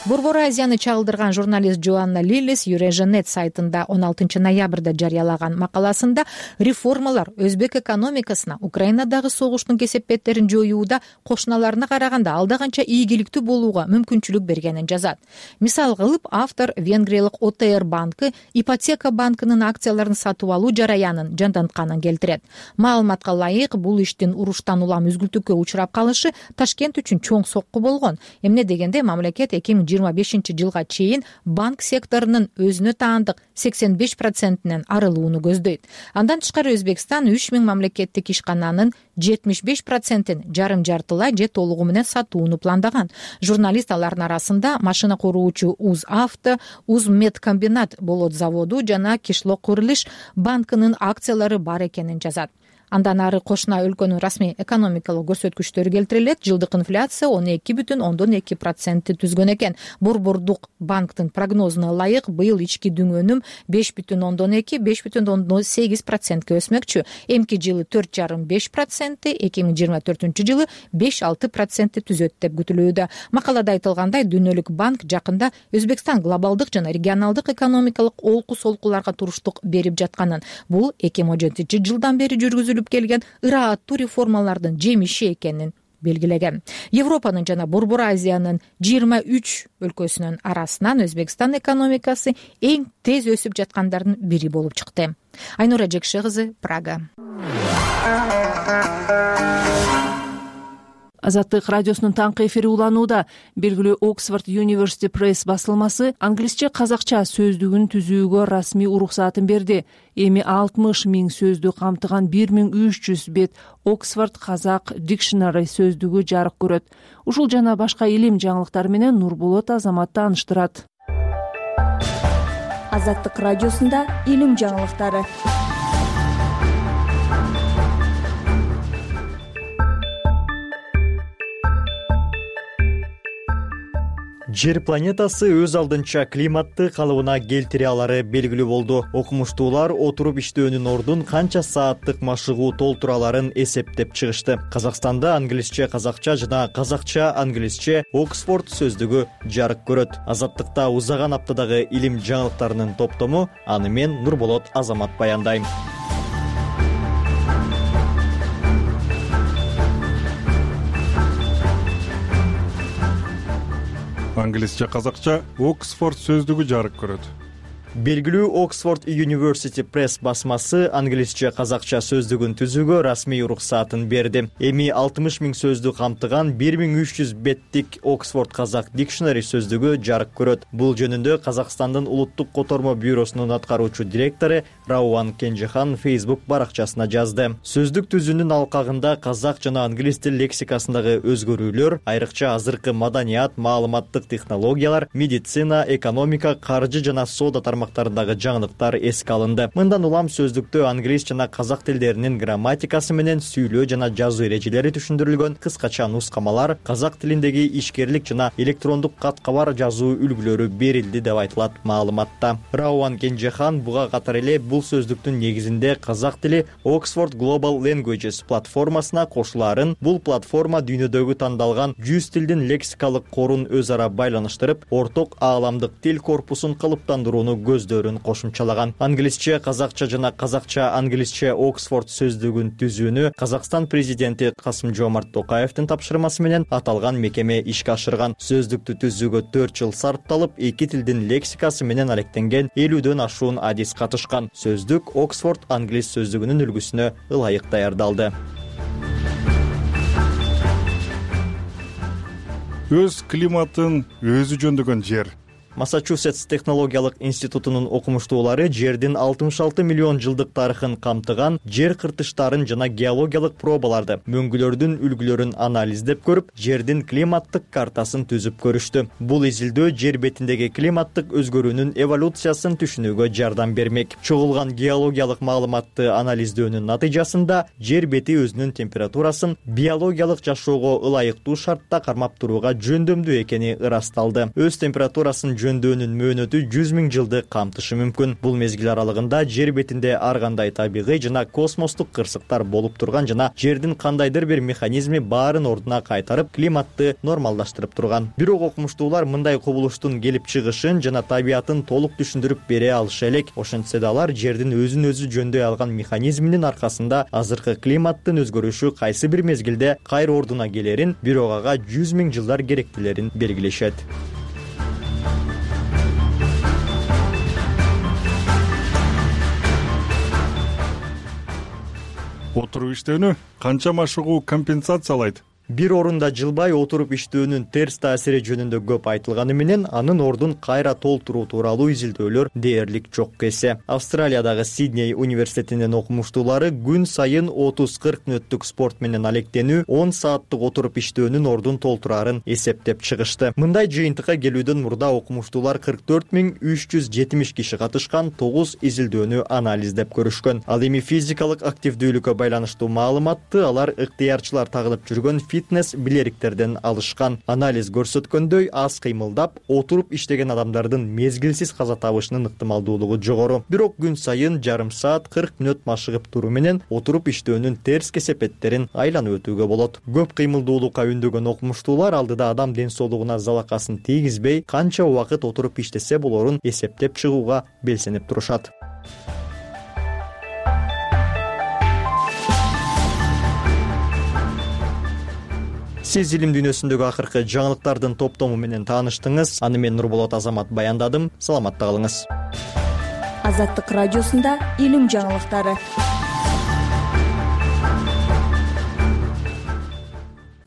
Борбор Азияны чагылдырган журналист Джоанна Лилис Юреженет сайтында он алтынчы ноябрда жарыялаган макаласында реформалар өзбек экономикасына Украинадагы согуштун кесепеттерин жоюуда кошуналарына караганда алда канча ийгиликтүү болууга мүмкүнчүлүк бергенин жазат. Мисал кылып, автор венгриялык О Т Р банкы ипотека банкынын акцияларын сатып алуу жараянын жандантканын келтирет. Маалыматка ылайык, бул иштин уруштан улам үзгүлтүккө учурап калышы Ташкент үчүн чоң сокку болгон. Эмне дегенде мамлекет эки миң жыйырма бешинчи жылга чейин банк секторунун өзүнө таандык сексен беш процентинен арылууну көздөйт. Андан тышкары Өзбекстан үч миң мамлекеттик ишкананын жетимиш беш процентин жарым жартылай же толугу менен сатууну пландаган. Журналист алардын арасында машина куруучу Уз Авто, Уз Медкомбинат болот заводу жана Кишлок Курилиш банкынын акциялары бар экенин жазат. Андан ары кошуна өлкөнүн расмий экономикалык көрсөткүчтөрү келтирилет. Жылдык инфляция он эки бүтүн ондон эки процентти түзгөн экен. Борбордук банктын прогнозуна ылайык быйыл ички дүңөнүм беш бүтүн ондон эки — беш бүтүн ондон сегиз процентке өсмөкчү. Эмки жылы төрт жарым — беш процентти, эки миң жыйырма төртүнчү жылы беш алты процентти түзөт деп күтүлүүдө. Макалада айтылгандай, Дүйнөлүк банк жакында Өзбекстан глобалдык жана регионалдык экономикалык олку солкуларга туруштук берип жатканын, бул эки миң он жетинчи жылдан бери жүргүзүлүп келген ырааттуу реформалардын жемиши экенин белгилеген. Европанын жана Борбор Азиянын жыйырма үч өлкөсүнүн арасынан Өзбекстан экономикасы эң тез өсүп жаткандардын бири болуп чыкты. Айнура Жекше кызы, Прага. Азаттык радиосунун таңкы эфири уланууда. Белгилүү Оксфорд University Press басылмасы англисче казакча сөздүгүн түзүүгө расмий уруксаатын берди. Эми алтымыш миң сөздү камтыган бир миң үч жүз бет Оксфорд казак Dictionary сөздүгү жарык көрөт. Ушул жана башка илим жаңылыктары менен Нурболот Азамат тааныштырат. Азаттык радиосунда илим жаңылыктары. Жер планетасы өз алдынча климатты калыбына келтире алары белгилүү болду. Окумуштуулар отуруп иштөөнүн ордун канча сааттык машыгуу толтура аларын эсептеп чыгышты. Казакстанда англисче казакча жана казакча англисче Оксфорд сөздүгү жарык көрөт. Азаттыкта узаган аптадагы илим жаңылыктарынын топтому, аны мен Нурболот Азамат баяндайм. Англисче казакча Оксфорд сөздүгү жарык көрөт. Белгилүү Оксфорд University Press басмасы англисче казакча сөздүгүн түзүүгө расмий уруксаатын берди. Эми алтымыш миң сөздү камтыган бир миң үч жүз беттик Оксфорд казак Dictionary сөздүгү жарык көрөт. Бул жөнүндө Казакстандын улуттук котормо бюросунун аткаруучу директору Рауан Кенжехан Facebook баракчасына жазды. Сөздүк түзүүнүн алкагында казак жана англис тил лексикасындагы өзгөрүүлөр, айрыкча азыркы маданият, маалыматтык технологиялар, медицина, экономика, каржы жана соода тармактарындагы жаңылыктар эске алынды. Мындан улам сөздүктө англис жана казак тилдеринин грамматикасы менен сүйлөө жана жазуу эрежелери түшүндүрүлгөн кыскача нускамалар, казак тилиндеги ишкерлик жана электрондук кат-кабар жазуу үлгүлөрү берилди деп айтылат маалыматта. Рауан Кенжехан буга катар эле бул сөздүктүн негизинде казак тили Oxford Global Languages платформасына кошулаарын, бул платформа дүйнөдөгү тандалган жүз тилдин лексикалык корун өз ара байланыштырып, орток ааламдык тил корпусун калыптандырууну көздөрүн кошумчалаган. Англисче казакча жана казакча англисче Оксфорд сөздүгүн түзүүнү Казакстан президенти Касым-Жомарт Токаевдин тапшырмасы менен аталган мекеме ишке ашырган. Сөздүктү түзүүгө төрт жыл сарпталып, эки тилдин лексикасы менен алектенген элүүдөн ашуун адис катышкан. Сөздүк Оксфорд англис сөздүгүнүн үлгүсүнө ылайык даярдалды. Өз климатын өзү жөндөгөн жер. Массачусетс технологиялык институтунун окумуштуулары жердин алтымыш алты миллион жылдык тарыхын камтыган жер кыртыштарын жана геологиялык пробаларды, мөңгүлөрдүн үлгүлөрүн анализдеп көрүп, жердин климаттык картасын түзүп көрүштү. Бул изилдөө жер бетиндеги климаттык өзгөрүүнүн эволюциясын түшүнүүгө жардам бермек. Чогулган геологиялык маалыматты анализдөөнүн натыйжасында жер бети өзүнүн температурасын биологиялык жашоого ылайыктуу шартта кармап турууга жөндөмдүү экени ырасталды. Өз температурасын жөндөөнүн мөөнөтү жүз миң жылды камтышы мүмкүн. Бул мезгил аралыгында жер бетинде ар кандай табигый жана космостук кырсыктар болуп турган жана жердин кандайдыр бир механизми баарын ордуна кайтарып, климатты нормалдаштырып турган. Бирок окумуштуулар мындай кубулуштун келип чыгышын жана табиятын толук түшүндүрүп бере алыша элек. Ошентсе да алар жердин өзүн өзү жөндөй алган механизминин аркасында азыркы климаттын өзгөрүшү кайсы бир мезгилде кайра ордуна келерин, бирок ага жүз миң жылдар керектилерин белгилешет. Отуруп иштөөнү канча машыгуу компенсациялайт? Бир орунда жылбай отуруп иштөөнүн терс таасири жөнүндө көп айтылганы менен анын ордун кайра толтуруу тууралуу изилдөөлөр дээрлик жок эсе. Австралиядагы Сидней университетинин окумуштуулары күн сайын отуз кырк мүнөттүк спорт менен алектенүү, он сааттык отуруп иштөөнүн ордун толтурарын эсептеп чыгышты. Мындай жыйынтыкка келүүдөн мурда окумуштуулар кырк төрт миң үч жүз жетимиш киши катышкан тогуз изилдөөнү анализдеп көрүшкөн. Ал эми физикалык активдүүлүккө байланыштуу маалыматты алар ыктыярчылар тагылып жүргөн фитнес билериктерден алышкан. Анализ көрсөткөндөй, аз кыймылдап, отуруп иштеген адамдардын мезгилсиз каза табышынын ыктымалдуулугу жогору. Бирок күн сайын жарым саат кырк мүнөт машыгып туруу менен отуруп иштөөнүн терс кесепеттерин айланып өтүүгө болот. Көп кыймылдуулукка үндөгөн окумуштуулар алдыда адам ден соолугуна залакасын тийгизбей, канча убакыт отуруп иштесе болорун эсептеп чыгууга белсенип турушат. сиз илим дүйнөсүндөгү акыркы жаңылыктардын топтому менен тааныштыңыз. Аны мен Нурболот Азамат баяндадым. Саламатта калыңыз. Азаттык радиосунда илим жаңылыктары.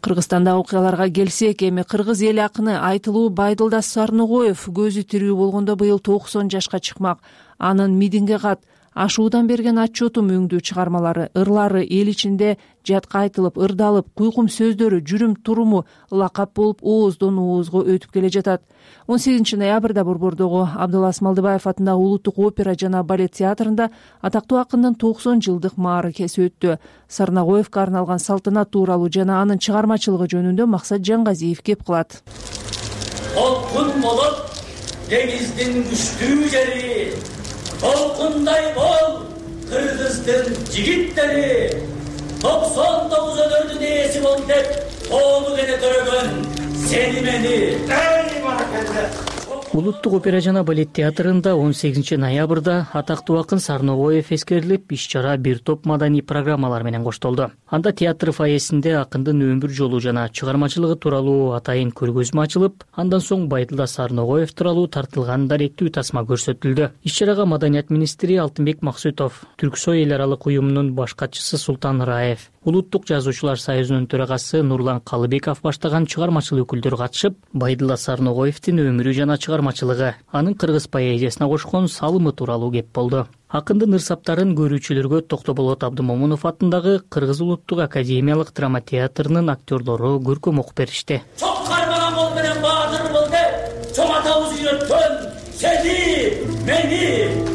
Кыргызстандагы окуяларга келсек, эми кыргыз эл акыны Айтылуу Байдылдас Сарногоев көзү тирүү болгондо быйыл токсон жашка чыкмак. Анын Мидинге кат, Ашуудан берген отчетум өңдүү чыгармалары, ырлары эл ичинде жатка айтылып, ырдалып, куйкум сөздөрү жүрүм туруму лакап болуп ооздон оозго өтүп келе жатат. он сегизинчи ноябрда Борбордогу Абдылас Малдыбаев атындагы Улуттук опера жана балет театрында атактуу акындын токсон жылдык мааракеси өттү. Сарногоевго арналган салтанат тууралуу жана анын чыгармачылыгы жөнүндө Максат Жаңгазиев кеп кылат. Толкун болуп деңиздин күчтүү жери, толкундай бол кыргыздын жигиттери, токсон тогуз өнөрдүн ээси бол деп тоолу дене төрөгөн сени мени эй баракелде. Улуттук опера жана балет театрында он сегизинчи ноябрда атактуу акын Сарногоев эскерилип, иш-чара бир топ маданий программалар менен коштолду. Анда театр фойесинде акындын өмүр жолу жана чыгармачылыгы тууралуу атайын көргөзмө ачылып, андан соң Байдылдас Сарногоев тууралуу тартылган даректүү тасма көрсөтүлдү. Иш-чарага Маданият министри Алтынбек Максутов, Түрксой эл аралык уюмунун баш катчысы Султан Раев, Улуттук жазуучулар союзунун төрагасы Нурлан Калыбеков баштаган чыгармачыл өкүлдөр катышып, Байдылдас Сарногоевдин өмүрү жана чыгармачылыгы, анын кыргыз поэзиясына кошкон салымы тууралуу кеп болду. Акындын ырсаптарын көрүүчүлөргө Токтоболот Абдымомунов атындагы Кыргыз улуттук академиялык драма театрынын актерлору көркөм окуп беришти. Чоң кармаган бол менен баадыр бол деп, чоң атабыз үйрөткөн сени, мени.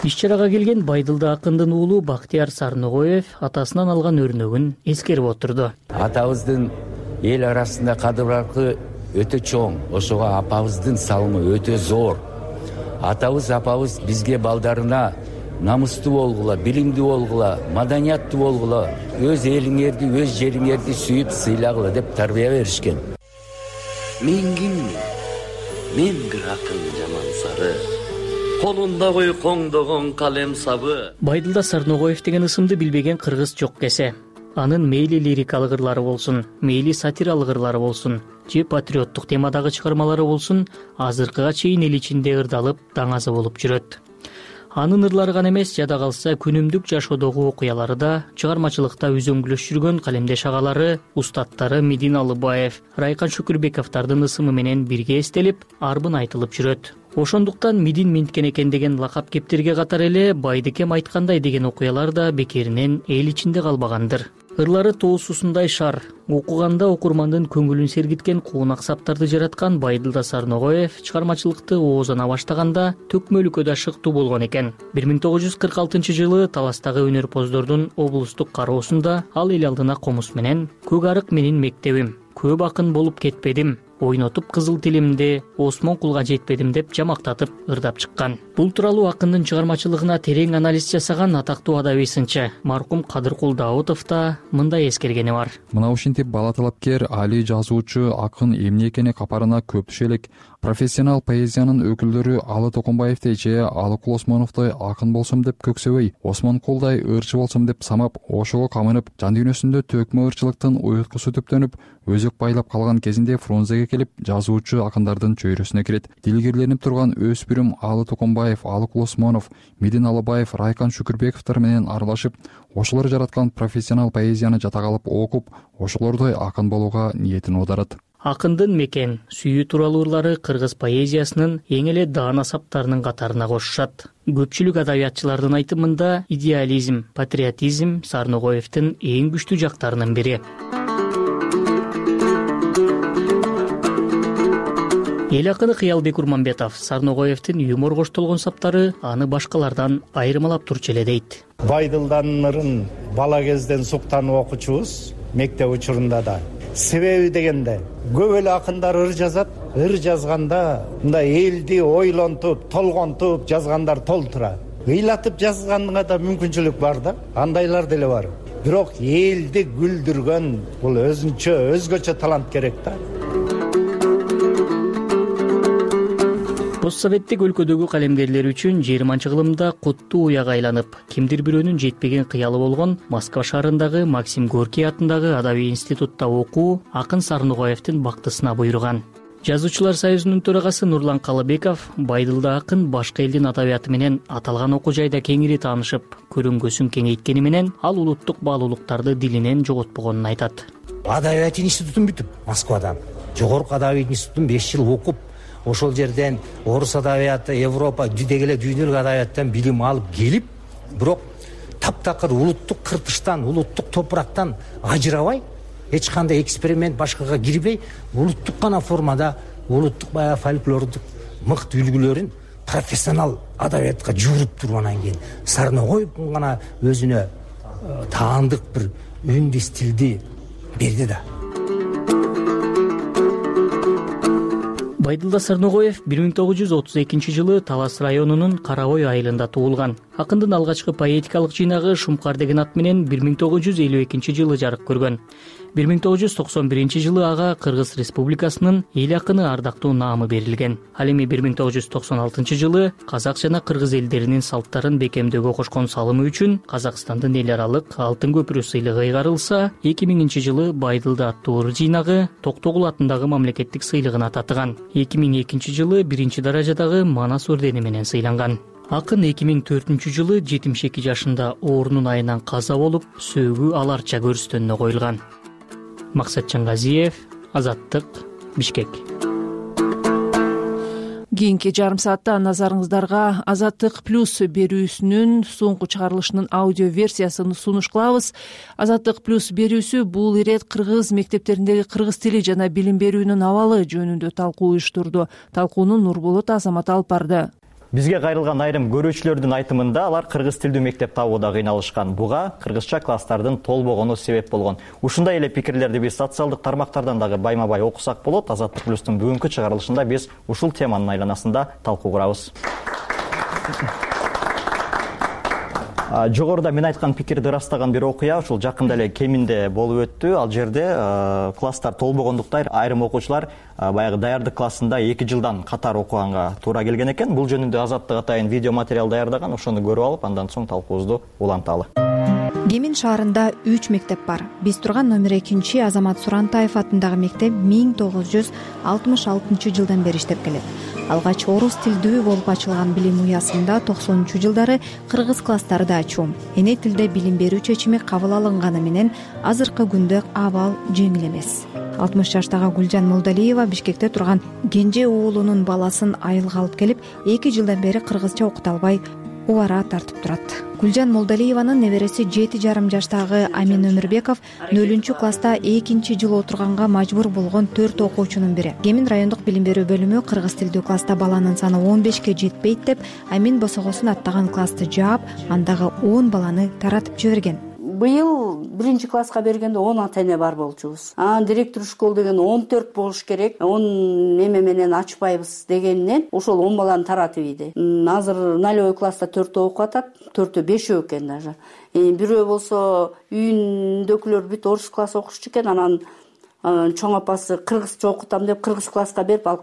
Иш-чарага келген Байдылда акындын уулу Бактияр Сарногоев атасынан алган өрнөгүн эскерип отурду. Атабыздын эл арасында кадыр-баркы өтө чоң, ошого апабыздын салымы өтө зор. Атабыз, апабыз бизге балдарына намыстуу болгула, билимдүү болгула, маданияттуу болгула, өз элиңерди, өз жериңерди сүйүп сыйлагыла деп тарбия беришкен. Мен киммин? Мен бир акын жаман сары. Колунда койкоңдогон калем сабы. Байдылда Сарногоев деген ысымды билбеген кыргыз жок кесе. Анын мейли лирикалык ырлары болсун, мейли сатиралык ырлары болсун, же патриоттук темадагы чыгармалары болсун, азыркыга чейин эл ичинде ырдалып, даңазы болуп жүрөт. Анын ырлары гана эмес, жада калса күнүмдүк жашоодогу окуялары да, чыгармачылыкта үзөңгүлөш жүргөн калемдеш агалары, устаттары Медин Алыбаев, Райкан Шүкүрбековдардын ысымы менен бирге эстелип, арбын айтылып жүрөт. Ошондуктан Медин Менткен экен деген лакап кептерге катар эле Байдыкем айткандай деген окуялар да бекеринен эл ичинде калбагандыр. Ырлары тоосусундай шар, окуганда окурмандын көңүлүн сергиткен куунак саптарды жараткан Байдылда Сарногоев чыгармачылыкты оозона баштаганда Төкмөлүккө да шыктуу болгон экен. бир миң тогуз жүз кырк алтынчы жылы Таластагы өнөрпоздордун облустук кароосунда ал эл алдына комуз менен «Көк арык менин мектебим, көп акын болуп кетпедим, ойнотуп кызыл тилимди, Осмон кулга жетпедим» деп жамактатып ырдап чыккан. Бул тууралуу акындын чыгармачылыгына терең анализ жасаган атактуу адабий сынчы маркум Кадыркул Даутов да мындай эскергени бар. Мына ушинтип бала талапкер, али жазуучу, акын эмне экени капарына көп түшө элек. Профессионал поэзиянын өкүлдөрү Алы Токонбаевдей же Алыкул Осмоновдой акын болсом деп көксөбөй, Осмон кулдай ырчы болсом деп самап, ошого камынып, жан дүйнөсүндө төкмө ырчылыктын уюткусу түптөнүп, өзөк байлап калган кезинде Фрунзеге келип, жазуучу акындардын чөйрөсүнө кирет. Дилгерленип турган өспүрүм Алы Токонбаев, Алыкул Осмонов, Медин Алыбаев, Райкан Шүкүрбековдор менен аралашып, ошолор жараткан профессионал поэзияны жатак алып окуп, ошолордой акын болууга ниетин оодарат. Акындын мекен, сүйүү тууралуу ырлары кыргыз поэзиясынын эң эле даана саптарынын катарына кошушат. Көпчүлүк адабиятчылардын айтымында идеализм, патриотизм Сарногоевдин эң күчтүү жактарынын бири. Эл акыны Кыялбек Урманбетов Сарногоевдин юмор коштолгон саптары аны башкалардан айырмалап турчу эле дейт. Байдылданын ырын бала кезден суктанып окучубуз, мектеп учурунда да. Себеби дегенде көп эле акындар ыр жазат, ыр жазганда мындай элди ойлонтуп, толгонтуп жазгандар толтура. Ыйлатып жазганга да мүмкүнчүлүк бар да, андайлар деле бар. Бирок элди күлдүргөн бул өзүнчө, өзгөчө талант керек да. посттсоветтик өлкөдөгү калемгерлер үчүн жыйырманчы кылымда куттуу уяга айланып, кимдир бирөөнүн жетпеген кыялы болгон Москва шаарындагы Максим Горький атындагы Адабий институтта окуу акын Сарногоевдин бактысына буйруган. Жазуучулар союзунун төрагасы Нурлан Калыбеков Байдылда акын башка элдин адабияты менен аталган окуу жайда кеңири таанышып, көрүнгөсүн кеңейткени менен ал улуттук баалуулуктарды дилинен жоготпогонун айтат. Адабият институтун бүтүп, Москвада жогорку адабият институтун беш жыл окуп, ошол жерден орус адабияты, Европа, деги эле дүйнөлүк адабияттан билим алып келип, бирок таптакыр улуттук кыртыштан, улуттук топурактан ажырабай, эч кандай эксперимент башкага кирбей, улуттук гана формада, улуттук баягы фольклордук мыкты үлгүлөрүн профессионал адабиятка жууруп туруп, анан кийин Сарногоевдун гана өзүнө таандык бир үндү стилди берди да. Байдылда Сарногоев бир миң тогуз жүз отуз экинчи жылы Талас районунун Карабой айылында туулган. Акындын алгачкы поэтикалык жыйнагы Шумкар деген ат менен бир миң тогуз жүз элүү экинчи жылы жарык көргөн. бир миң тогуз жүз токсон биринчи жылы ага Кыргыз Республикасынын эл акыны ардактуу наамы берилген. Ал эми бир миң тогуз жүз токсон алтынчы жылы казак жана кыргыз элдеринин салттарын бекемдөөгө кошкон салымы үчүн Казакстандын эл аралык Алтын көпүрө сыйлыгы ыйгарылса, эки миңинчи жылы Байдылда аттуу ыр жыйнагы Токтогул атындагы мамлекеттик сыйлыгына татыган. эки миң экинчи жылы биринчи даражадагы Манас ордени менен сыйланган. Акын эки миң төртүнчү жылы жетимиш эки жашында оорунун айынан каза болуп, сөөгү аларча көрүстөнүнө коюлган. Максатжан Газиев, Азаттык, Бишкек. Кийинки жарым саатта назарыңыздарга Азаттык плюс берүүсүнүн соңку чыгарылышынын аудио версиясын сунуш кылабыз. Азаттык плюс берүүсү бул ирет кыргыз мектептериндеги кыргыз тили жана билим берүүнүн абалы жөнүндө талкуу уюштурду. Талкууну Нурболот Азамат алып барды. Бизге кайрылган айрым көрүүчүлөрдүн айтымында алар кыргыз тилдүү мектеп табууда кыйналышкан. Буга кыргызча класстардын толбогону себеп болгон. Ушундай эле пикирлерди биз социалдык тармактардан дагы байма-бай окусак болот. Азаттык плюстун бүгүнкү чыгарылышында биз ушул теманын айланасында талкуу курабыз. Жогоруда мен айткан пикирди ырастаган бир окуя ушул жакында эле Кеминде болуп өттү. Ал жерде класстар толбогондуктан айрым окуучулар баягы даярдык классында эки жылдан катар окуганга туура келген экен. Бул жөнүндө Азаттык атайын видео материал даярдаган. Ошону көрүп алып, андан соң талкуубузду уланталы. Кемин шаарында үч мектеп бар. Биз турган номер экинчи Азамат Сурантаев атындагы мектеп миң тогуз жүз алтымыш алтынчы жылдан бери иштеп келет. Алгач орус тилдүү болуп ачылган билим уясында токсонунчу жылдары кыргыз класстары да ачуу. Эне тилде билим берүү чечими кабыл алынганы менен азыркы күндө абал жеңил эмес. алтымыш жаштагы Гүлжан Молдалиева Бишкекте турган кенже уулунун баласын айылга алып келип, эки жылдан бери кыргызча окута албай убара тартып турат. Гүлжан Молдалиеванын небереси жети жарым жаштагы Амин Өмүрбеков нөлүнчү класста экинчи жыл отурганга мажбур болгон төрт окуучунун бири. Кемин райондук билим берүү бөлүмү кыргыз тилдүү класста баланын саны он бешке жетпейт деп Амин босогосун аттаган классты жаап, андагы он баланы таратып жиберген. Быйыл биринчи класска бергенде он ата эне бар болчубуз. Анан директор школ деген он төрт болуш керек. он эме менен ачпайбыз дегенинен ошол он баланы таратып ийди. Азыр нолевой класста төртөө окуп атат, төртөө бешөө экен даже. Бирөө болсо үйүндөгүлөр бүт орус класс окушчу экен, анан чоң апасы кыргызча окутам деп кыргыз класска берип, ал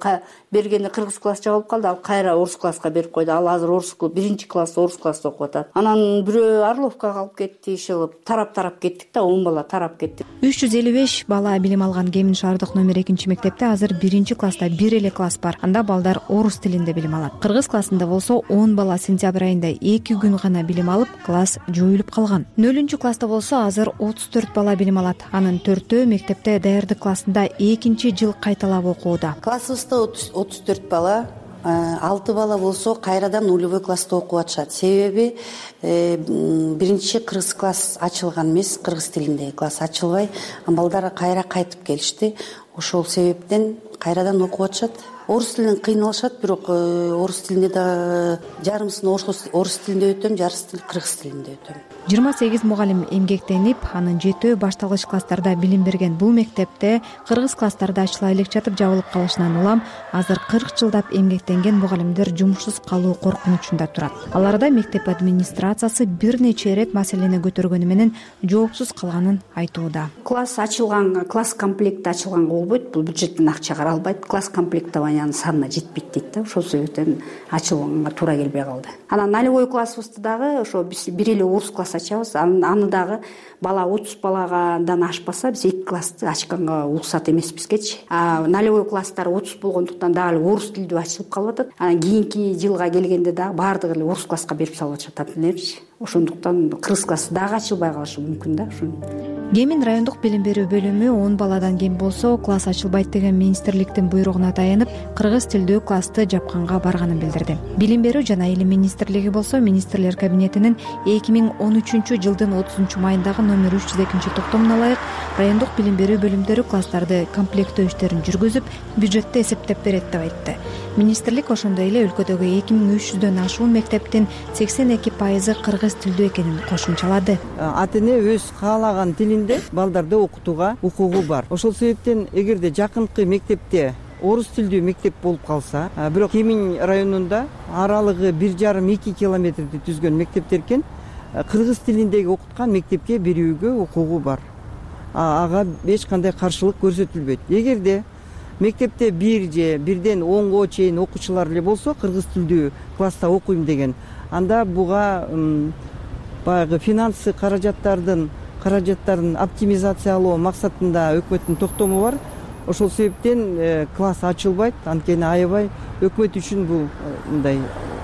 бергенде кыргыз классча болуп калды, ал кайра орус класска берип койду. Ал азыр орус биринчи класс орус класста окуп атат. Анан бирөө Орловкага алып кетти, иши тарап-тарап кеттик да, он бала тарап кетти. үч жүз элүү беш бала билим алган Кемин шаардык номер экинчи мектепте азыр биринчи класста бир эле класс бар. Анда балдар орус тилинде билим алат. Кыргыз классында болсо он бала сентябрь айында эки күн гана билим алып, класс жоюлуп калган. нөлүнчү класста болсо азыр отуз төрт бала билим алат. Анын төртөө мектепте даярдык классында экинчи жыл кайталап окууда. Классыбызда отуз төрт бала, алты бала болсо кайрадан нулевой класста окуп атышат. Себеби биринчи кыргыз класс ачылган эмес, кыргыз тилиндеги класс ачылбай, балдар кайра кайтып келишти. Ошол себептен кайрадан окуп атышат. Орус тилинен кыйналышат, бирок орус тилинде да жарымсын орус тилинде өтөм, жарысын кыргыз тилинде өтөм. жыйырма сегиз мугалим эмгектенип, анын жетөө башталгыч класстарда билим берген бул мектепте кыргыз класстарда ачыла элек жатып жабылып калышынан улам азыр кырк жылдап эмгектенген мугалимдер жумушсуз калуу коркунучунда турат. Аларда мектеп администрациясы бир нече ирет маселени көтөргөнү менен жоопсуз калганын айтууда. Класс ачылганга, класс комплекти ачылганга болбойт, бул бюджеттен акча каралбайт. Класс комплектование компаниянын санына жетпейт дейт да, ошол себептен ачылганга туура келбей калды. Анан нолевой классыбызды дагы ошо биз бир эле орус класс ачабыз. Аны дагы бала отуз баладан ашпаса биз эки классты ачканга уруксат эмеспизгечи. А нолевой класстар отуз болгондуктан дагы эле орус тилдүү ачылып калып атат. Анан кийинки жылга келгенде дагы баардыгы эле орус класска берип салып атышат ата-энелерчи. Ошондуктан кыргыз классы дагы ачылбай калышы мүмкүн да. Ошону Кемин райондук билим берүү бөлүмү он баладан кем болсо класс ачылбайт деген министрликтин буйругуна таянып кыргыз тилдүү классты жапканга барганын билдирди. Билим берүү жана илим министрлиги болсо министрлер кабинетинин эки миң он үчүнчү жылдын отузунчу майындагы номер үч жүз экинчи токтомуна ылайык райондук билим берүү бөлүмдөрү класстарды комплекттөө иштерин жүргүзүп, бюджетти эсептеп берет деп айтты. Министрлик ошондой эле өлкөдөгү эки миң үч жүздөн ашуун мектептин сексен эки пайызы кыргыз тилдүү экенин кошумчалады. Ата-эне өз каалаган тилинде балдарды окутууга укугу бар. Ошол себептен эгерде жакынкы мектепте орус тилдүү мектеп болуп калса, бирок Кемин районунда аралыгы бир жарым эки километрди түзгөн мектептер экен, кыргыз тилиндеги окуткан мектепке берүүгө укугу бар. Ага эч кандай каршылык көрсөтүлбөйт. Эгерде мектепте бир же бирден онго чейин окуучулар эле болсо, кыргыз тилдүү класста окуйм деген, анда буга баягы финансы каражаттардын каражаттарын оптимизациялоо максатында өкмөттүн токтому бар. Ошол себептен класс ачылбайт. Анткени аябай өкмөт үчүн бул мындай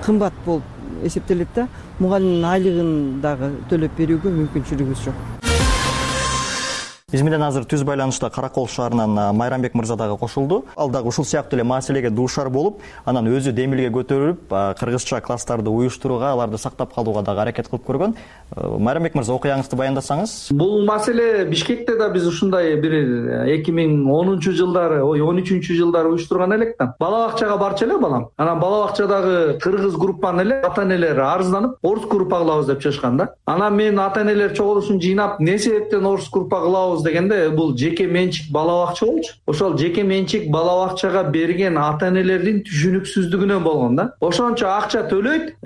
кымбат болуп эсептелет да. Мугалимдин айлыгын дагы төлөп берүүгө мүмкүнчүлүгүбүз жок. Биз менен азыр түз байланышта Каракол шаарынан Майрамбек мырза дагы кошулду. Ал дагы ушул сыяктуу эле маселеге дуушар болуп, анан өзү демилге көтөрүп, кыргызча класстарды уюштурууга, аларды сактап калууга дагы аракет кылып көргөн. Майрамбек мырза, окуяңызды баяндасаңыз. Бул маселе Бишкекте да биз ушундай бир эки миң онунчу жылдары, ой он үчүнчү жылдары уюштурган элек да. Бала бакчага барчу эле балам. Анан бала бакчадагы кыргыз группаны эле ата-энелер арызданып, орус группа кылабыз деп чыгышкан да. Анан мен ата-энелер чогулушун жыйнап, эмне себептен орус группа кылабыз дегенде, бул жеке менчик бала бакча болчу. Ошол жеке менчик бала бакчага берген ата-энелердин түшүнүксүздүгүнөн болгон да. Ошончо акча төлөйт,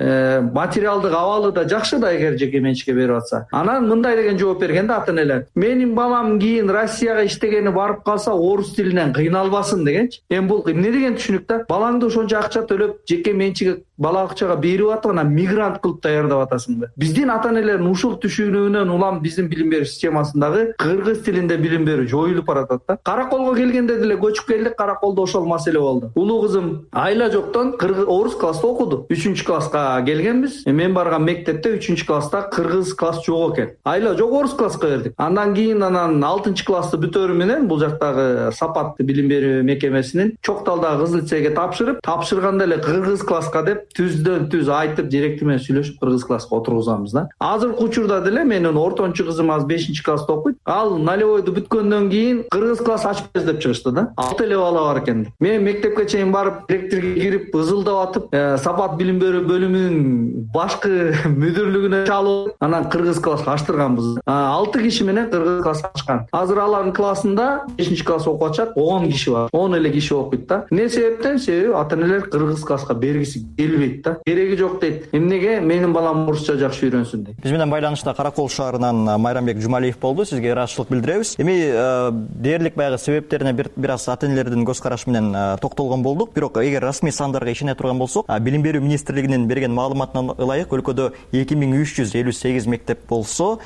материалдык абалы да жакшы да эгер жеке менчикке берип атса. Анан мындай деген жооп берген да ата-энелер: менин балам кийин Россияга иштегени барып калса орус тилинен кыйналбасын дегенчи. Эми бул эмне деген түшүнүк да? Балаңды ошончо акча төлөп жеке менчик бала бакчага берип атып, анан мигрант кылып даярдап атасыңбы? Биздин ата-энелердин ушул түшүнүгүнөн улам биздин билим берүү системасындагы кыргыз тилинде билим берүү жоюлуп баратат да. Караколго келгенде деле көчүп келдик, Караколдо ошол маселе болду. Улуу кызым айла жоктон кыргыз орус класста окуду. үчүнчү класска келгенбиз. Мен барган мектепте үчүнчү класста кыргыз класс жок экен. Айла жок орус класска бердик. Андан кийин анан алтынчы классты бүтөрү менен бул жактагы Сапат билим берүү мекемесинин Чокталдагы кызыл лицейге тапшырып, тапшырганда эле кыргыз класска деп түздөн түз айтып, директор менен сүйлөшүп кыргыз класска отургузабыз да. Азыркы учурда деле менин ортончу кызым азыр бешинчи класста окуйт. Ал нолевойду бүткөндөн кийин кыргыз класс ачпайбыз деп чыгышты да. Алты эле бала бар экен. Мен мектепке чейин барып, директорго кирип ызылдап атып, Сапат билим берүү бөлүмүнүн башкы мүдүрлүгүнө чалып, анан кыргыз класс ачтырганбыз. алты киши менен кыргыз класс ачкан. Азыр алардын классында бешинчи класс окуп атышат, он киши бар. он эле киши окуйт да. Эмне себептен? Себеби ата-энелер кыргыз класска бергиси келбейт да. Кереги жок дейт. Эмнеге? Менин балам орусча жакшы үйрөнсүн дейт. Биз менен байланышта Каракол шаарынан Майрамбек Жумалиев болду. Сизге ыраазычылык билдиребиз. Эми дээрлик баягы себептерине бир аз ата-энелердин көз карашы менен токтолгон болдук. Бирок эгер расмий сандарга ишене турган болсок, билим берүү министрлигинин берген маалыматына ылайык өлкөдө эки миң үч жүз элүү сегиз мектеп болсо,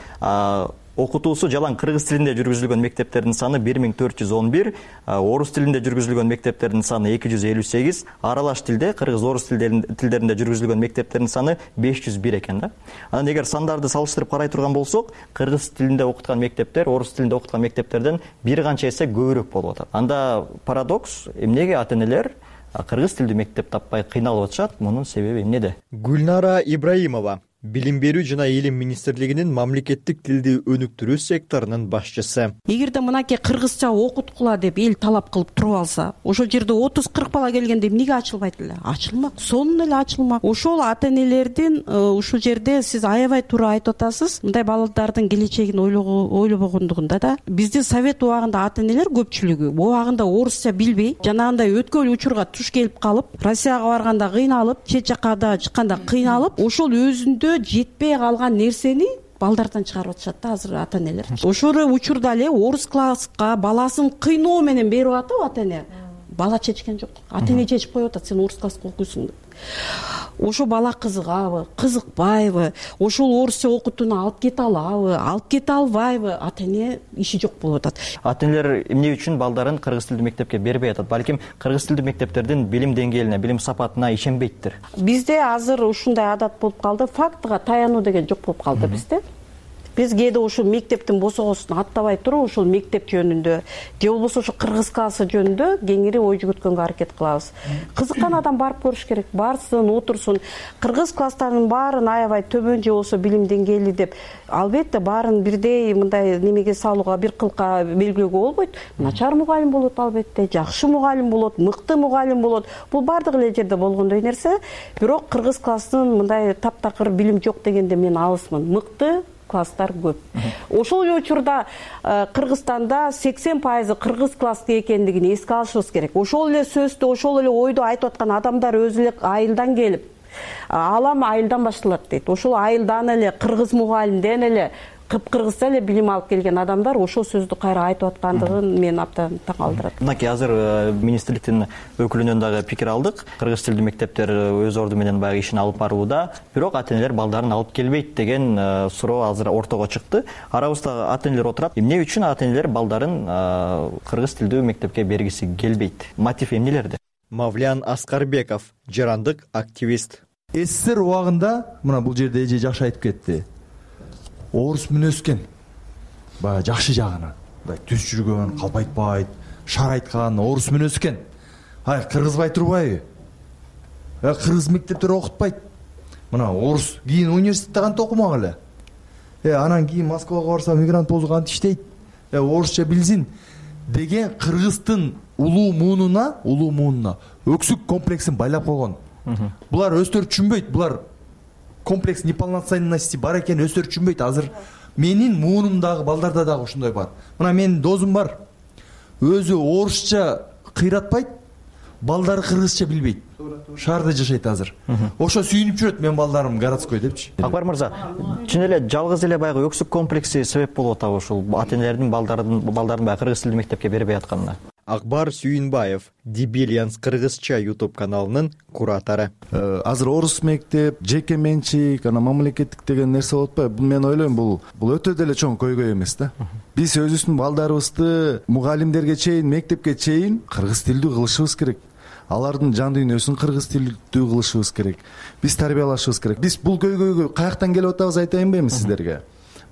окутуусу жалаң кыргыз тилинде жүргүзүлгөн мектептердин саны бир миң төрт жүз он бир, орус тилинде жүргүзүлгөн мектептердин саны эки жүз элүү сегиз, аралаш тилде кыргыз орус тилдеринде жүргүзүлгөн мектептердин саны беш жүз бир экен да. Анан эгер сандарды салыштырып карай турган болсок, кыргыз тилинде окуткан мектептер орус тилинде окуткан мектептерден бир канча эсе көбүрөөк болуп атат. Анда парадокс, эмнеге ата-энелер кыргыз тилдүү мектеп таппай кыйналып атышат? Мунун себеби эмнеде? Гүлнара Ибраимова, Билим берүү жана илим министрлигинин мамлекеттик тилди өнүктүрүү секторунун башчысы. Эгерде мынакей кыргызча окуткула деп эл талап кылып туруп алса, ошол жерде отуз кырк бала келгенде эмнеге ачылбайт эле? Ачылмак, сонун эле ачылмак. Ошол ата-энелердин ушул жерде сиз аябай туура айтып атасыз. Мындай балдардын келечегин ойлобогондугунда да биздин совет убагында ата-энелер көпчүлүгү убагында орусча билбей, жанагындай өткөл учурга туш келип калып, Россияга барганда кыйналып, чет жакка да чыкканда кыйналып, ошол өзүндө жетпей калган нерсени балдардан чыгарып атышат да азыр ата-энелер. Ошол учурда эле орус класска баласын кыйноо менен берип атып ата-эне. бала чечкен жок, ата эне чечип коюп атат, сен орус класска окуйсуң деп. Ошо бала кызыгабы, кызыкпайбы, ошол орусча окутууну алып кете алабы, алып кете албайбы, ата эне иши жок болуп атат. Ата энелер эмне үчүн балдарын кыргыз тилдүү мектепке бербей атат? Балким кыргыз тилдүү мектептердин билим деңгээлине, билим сапатына ишенбейттир. Бизде азыр ушундай адат болуп калды, фактыга таянуу деген жок болуп калды бизде. Биз кээде ошол мектептин босогосун аттабай туруп, ошол мектеп жөнүндө же болбосо ошо кыргыз классы жөнүндө кеңири ой жүгүрткөнгө аракет кылабыз. Кызыккан адам барып көрүш керек, барсын, отурсун. Кыргыз класстарынын баарын аябай төмөн же болбосо билим деңгээли деп, албетте баарын бирдей мындай немеге салууга, бир кылка белгилөөгө болбойт. Начар мугалим болот албетте, жакшы мугалим болот, мыкты мугалим болот. Бул бардык эле жерде болгондой нерсе. Бирок кыргыз класстын мындай таптакыр билим жок дегенде мен алысмын. Мыкты класстар көп. Ошол учурда Кыргызстанда сексен пайызы кыргыз классы экендигин эске алышыбыз керек. Ошол эле сөздү, ошол эле ойду айтып аткан адамдар өзү эле айылдан келип, алам айылдан башталат дейт. Ошол айылдан эле кыргыз мугалимден эле кыргызча эле билим алып келген адамдар ошол сөздү кайра айтып аткандыгын мен абдан таң калтырат. Мынакей азыр министрликтин өкүлүнөн дагы пикир алдык. Кыргыз тилдүү мектептер өз орду менен баягы ишин алып барууда, бирок ата энелер балдарын алып келбейт деген суроо азыр ортого чыкты. Арабызда ата энелер отурат. Эмне үчүн ата энелер балдарын кыргыз тилдүү мектепке бергиси келбейт? Мотив эмнелерде? Мавлян Аскарбеков, жарандык активист. СССР убагында мына бул жерде эже жакшы айтып кетти. Орус менен өскөн, баягы жакшы жагынан, мындай түз жүргөн, калпайтпайт, шар айткан, орус менен өскөн. Ай, кыргызбай турбайбы? Э, кыргыз мектептер окутпайт. Мына орус кийин университетте кантип окумак эле? Э, анан кийин Москвага барса мигрант болсо кантип иштейт? Э, орусча билсин деген кыргыздын улуу муунуна, улуу муунуна өксүк комплексин байлап койгон. Булар өздөрү түшүнбөйт, булар комплекс неполноценности бар экенин өздөрү түшүнбөйт. Азыр менин муунумдагы балдарда дагы ушундай бар. Мына менин досум бар. Өзү орусча кыйратпайт, балдары кыргызча билбейт. Шаарда жашайт азыр. Ошо сүйүнүп жүрөт, мен балдарым городской депчи. Акбар мырза, чын эле жалгыз эле баягы өксүк комплекси себеп болуп атабы ушул ата энелердин балдарын балдарын баягы кыргыз тилдүү мектепке бербей атканына? Акбар Сүйүнбаев, Дибилианс кыргызча YouTube каналынын куратору. Азыр орус мектеп, жеке менчик, ана мамлекеттик деген нерсе болуп атпайбы? Бул мен ойлойм, бул бул өтө деле чоң көйгөй эмес да. Биз өзүбүздүн балдарыбызды мугалимдерге чейин, мектепке чейин кыргыз тилдүү кылышыбыз керек. Алардын жан дүйнөсүн кыргыз тилдүү кылышыбыз керек. Биз тарбиялашыбыз керек. Биз бул көйгөйгө каяктан келип атабыз айтайынбы эми сиздерге?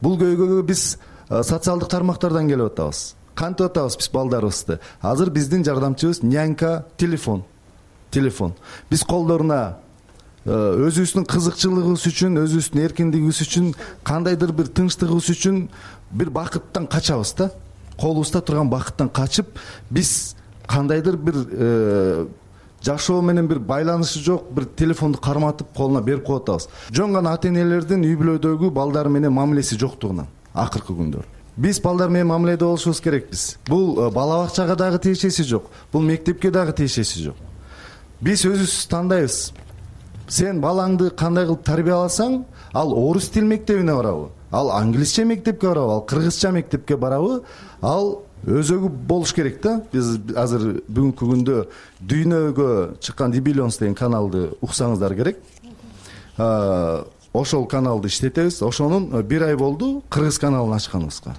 Бул көйгөйгө биз социалдык тармактардан келип атабыз. Кантип атабыз биз балдарыбызды? Азыр биздин жардамчыбыз нянька, телефон. Телефон. Биз колдоруна өзүбүздүн кызыкчылыгыбыз үчүн, өзүбүздүн эркиндигибиз үчүн, кандайдыр бир тынчтыгыбыз үчүн бир бакыттан качабыз да. Колубузда турган бакыттан качып, биз кандайдыр бир жашоо менен бир байланышы жок бир телефонду карматып колуна берип коюп атабыз. Жөн гана ата энелердин үй бүлөдөгү балдары менен мамилеси жоктугунан акыркы күндөр. Биз балдар менен мамиледе болушубуз керекпиз. Бул бала бакчага дагы тиешеси жок. Бул мектепке дагы тиешеси жок. Биз өзүбүз тандайбыз. Сен балаңды кандай кылып тарбияласаң, ал орус тил мектебине барабы, ал англисче мектепке барабы, ал кыргызча мектепке барабы, ал өзөгү болуш керек да. Биз азыр бүгүнкү күндө дүйнөгө чыккан Дибилионс деген каналды уксаңыздар керек. Ошол каналды иштетебиз. Ошонун бир ай болду кыргыз каналын ачканыбызга.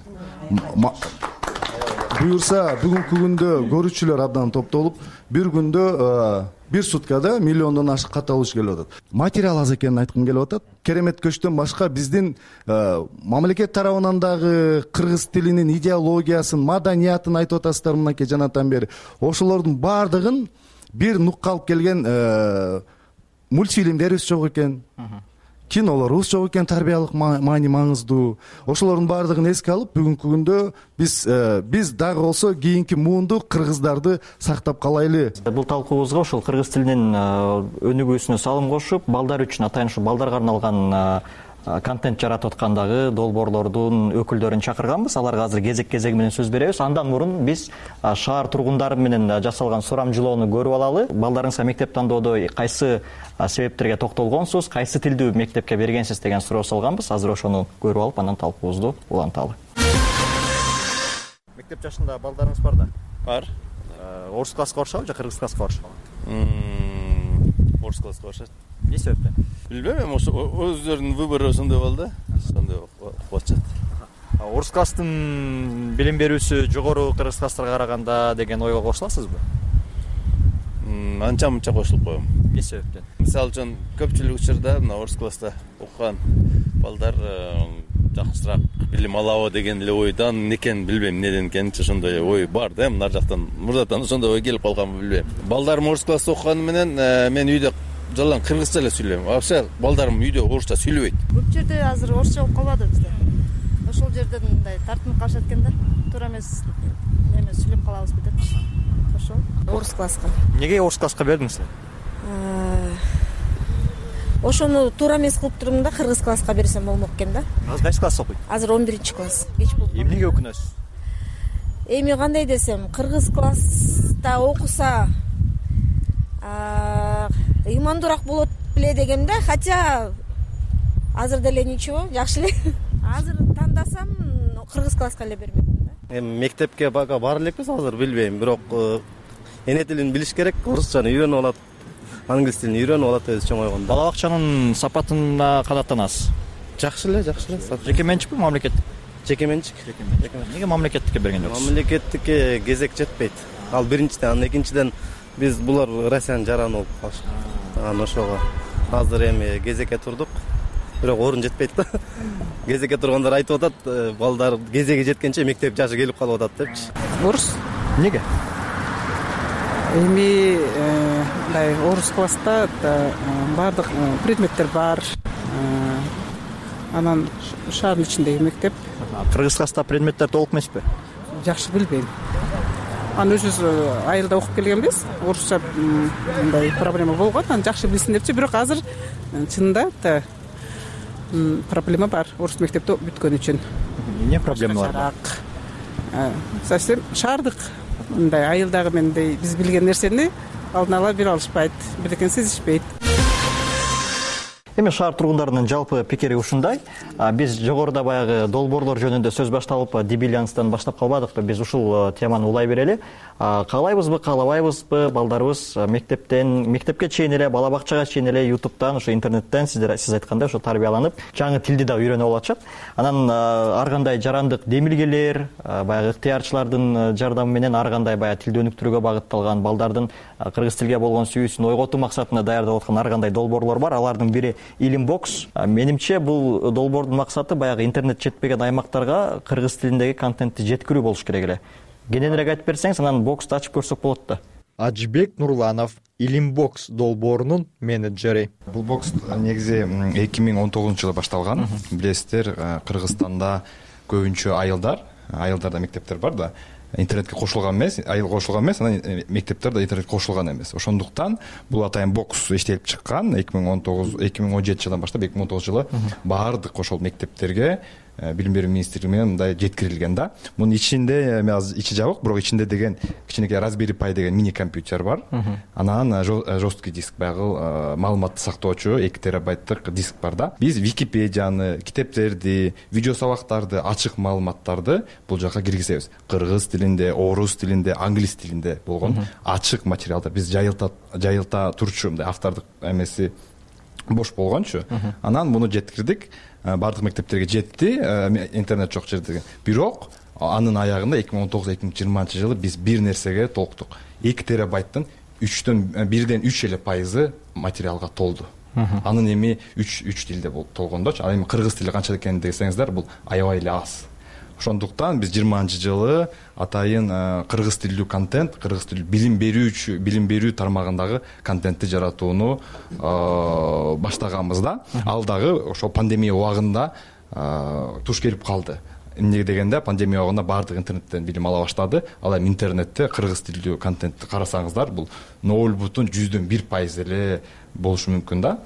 Буюрса бүгүнкү күндө көрүүчүлөр абдан топтолуп, бир күндө бир суткада миллиондон ашык каталыш келип атат. Материал аз экенин айткым келип атат. Керемет көчтөн башка биздин мамлекет тарабынан дагы кыргыз тилинин идеологиясын, маданиятын айтып атасыздар мынакей жанатан бери. Ошолордун баардыгын бир нукка алып келген мультфильмдерибиз жок экен. Кинолорубуз жок экен, тарбиялык маани маңыздуу. Ошолордун баардыгын эске алып, бүгүнкү күндө биз биз дагы болсо кийинки муунду кыргыздарды сактап калайлы. Бул талкуубузга ошол кыргыз тилинин өнүгүүсүнө салым кошуп, балдар үчүн атайын ушу балдарга арналган контент жаратып аткандагы долбоорлордун өкүлдөрүн чакырганбыз. Аларга азыр кезек-кезеги менен сөз беребиз. Андан мурун биз шаар тургундары менен жасалган сурамжылоону көрүп алалы. Балдарыңызга мектеп тандоодо кайсы себептерге токтолгонсуз, кайсы тилдүү мектепке бергенсиз деген суроо салганбыз. Азыр ошону көрүп алып, андан талкуубузду уланталы. Мектеп жашында балдарыңыз бар да? Бар. орус класска барышабы же кыргыз класска барышабы? Орус класска барышат. Эмне себептен? Билбейм, эми ошо өздөрүнүн выбору ошондой болду да. Ошондой окуп атышат. Орус класстын билим берүүсү жогору кыргыз класстарга караганда деген ойго кошуласызбы? Анча мынча кошулуп коем. Эмне себептен? Мисалы үчүн көпчүлүк учурда мына орус класста окуган балдар жакшыраак билим алабы деген эле ойдон эмне экенин билбейм, эмнеден экенинчи ошондой ой бар да. Нар жактан мурдатан ошондой ой келип калганбы билбейм. Балдарым орус класста окуганы менен мен үйдө жалаң кыргызча эле сүйлөйм. Вообще балдарым үйдө орусча сүйлөбөйт. Көп жерде азыр орусча болуп калбады бизде. Ошол жерден мындай тартынып калышат экен да. Туура эмес неме сүйлөп калабызбы депчи. Ошол орус класска. Эмнеге орус класска бердиңиз? Ошону туура эмес кылып турдум да, кыргыз класска берсем болмок экен да. Азыр кайсы класста окуйт? Азыр он биринчи класс. Кеч болуп. Эмнеге өкүнөсүз? Эми кандай десем, кыргыз класста окуса ыймандуураак болот беле дегем да, хотя азыр деле ничего, жакшы эле. Азыр тандасам кыргыз класска эле бермекмин да. Эми мектепке бага бара элекпиз азыр, билбейм, бирок эне тилин билиш керек, орусчаны үйрөнүп алат, англис тилин үйрөнүп алат өзү чоң ойгондо. Бала бакчанын сапатына канаттанасыз? Жакшы эле, жакшы эле. Жеке менчикпи, мамлекеттик? Жеке менчик. Эмнеге мамлекеттикке берген жоксуз? Мамлекеттикке кезек жетпейт. Ал биринчиден, анан экинчиден биз булар Россиянын жараны болуп калышты. Анан ошого азыр эми кезекке турдук. Бирок орун жетпейт да. Кезекке тургандар айтып атат, балдар кезеги жеткенче мектеп жашы келип калып атат депчи. Орус. Эмнеге? Эми мындай орус класста баардык предметтер бар. Анан шаардын ичиндеги мектеп. Кыргыз класста предметтер толук эмеспи? Жакшы билбейм. Анан өзүбүз айылда окуп келгенбиз. Орусча мындай проблема болгон. Анан жакшы билсин депчи, бирок азыр чынында проблема бар орус мектепти бүткөн үчүн. Эмне проблема бар? Совсем шаардык мындай айылдагы мендей биз билген нерсени алдын ала бере алышпайт, бирдекени сезишпейт. Эми шаар тургундарынын жалпы пикири ушундай. Биз жогоруда баягы долбоорлор жөнүндө сөз башталып, дебилянстан баштап калбадыкпы? Биз ушул теманы улай берели. Каалайбызбы, каалабайбызбы, балдарыбыз мектептен, мектепке чейин эле, бала бакчага чейин эле ютубтан, ошо интернеттен сиздер сиз айткандай ошо тарбияланып, жаңы тилди да үйрөнүп алышат. Анан ар кандай жарандык демилгелер, баягы ыктыярчылардын жардамы менен ар кандай баягы тилди өнүктүрүүгө багытталган, балдардын кыргыз тилге болгон сүйүүсүн ойготуу максатында даярдап аткан ар кандай долбоорлор бар. Алардын бири Илимбокс. Менимче бул долбоордун максаты баягы интернет жетпеген аймактарга кыргыз тилиндеги контентти жеткирүү болуш керек эле. Кененирээк айтып берсеңиз, анан боксту ачып көрсөк болот да. Ажибек Нурланов, Илимбокс долбоорунун менеджери. Бул бокс негизи эки миң он тогузунчу жылы башталган. Билесиздер, Кыргызстанда көбүнчө айылдар, айылдарда мектептер бар да. Интернетке кошулган эмес, айыл кошулган эмес, анан мектептер да интернетке кошулган эмес. Ошондуктан бул атайын бокс иштелип чыккан. эки миң он тогуз эки миң он жетинчи жылдан баштап эки миң он тогузунчу жылы баардык ошол мектептерге билим берүү министрлиги менен мындай жеткирилген да. Мунун ичинде эми азыр ичи жабык, бирок ичинде деген кичинекей Raspberry Pi деген мини компьютер бар. Анан жесткий диск, баягы маалыматты сактоочу эки терабайттык диск бар да. Биз Википедияны, китептерди, видео сабактарды, ачык маалыматтарды бул жака киргизебиз. Кыргыз тилинде, орус тилинде, англис тилинде болгон ачык материалдар. Биз жайылта жайылта турчу мындай автордук эмеси бош болгончу. Анан муну жеткирдик. Бардык мектептерге жетти, интернет жок жерде. Бирок анын аягында эки миң он тогуз эки миң жыйырманчы жылы биз бир нерсеге толуктук. эки терабайттын үчтөн бирден үч эле пайызы материалга толду. Анын эми үч үч тилде толгондочу. Ал эми кыргыз тили канча экенин десеңиздер, бул аябай эле аз. Ошондуктан биз жыйырманчы жылы атайын кыргыз тилдүү контент, кыргыз тилдүү билим берүүчү, билим берүү тармагындагы контентти жаратууну баштаганбыз да. Ал дагы ошо пандемия убагында туш келип калды. Эмне дегенде, пандемия убагында баардык интернеттен билим ала баштады. Ал эми интернетте кыргыз тилдүү контентти карасаңыздар, бул ноль бүтүн жүздөн бир пайыз эле болушу мүмкүн да.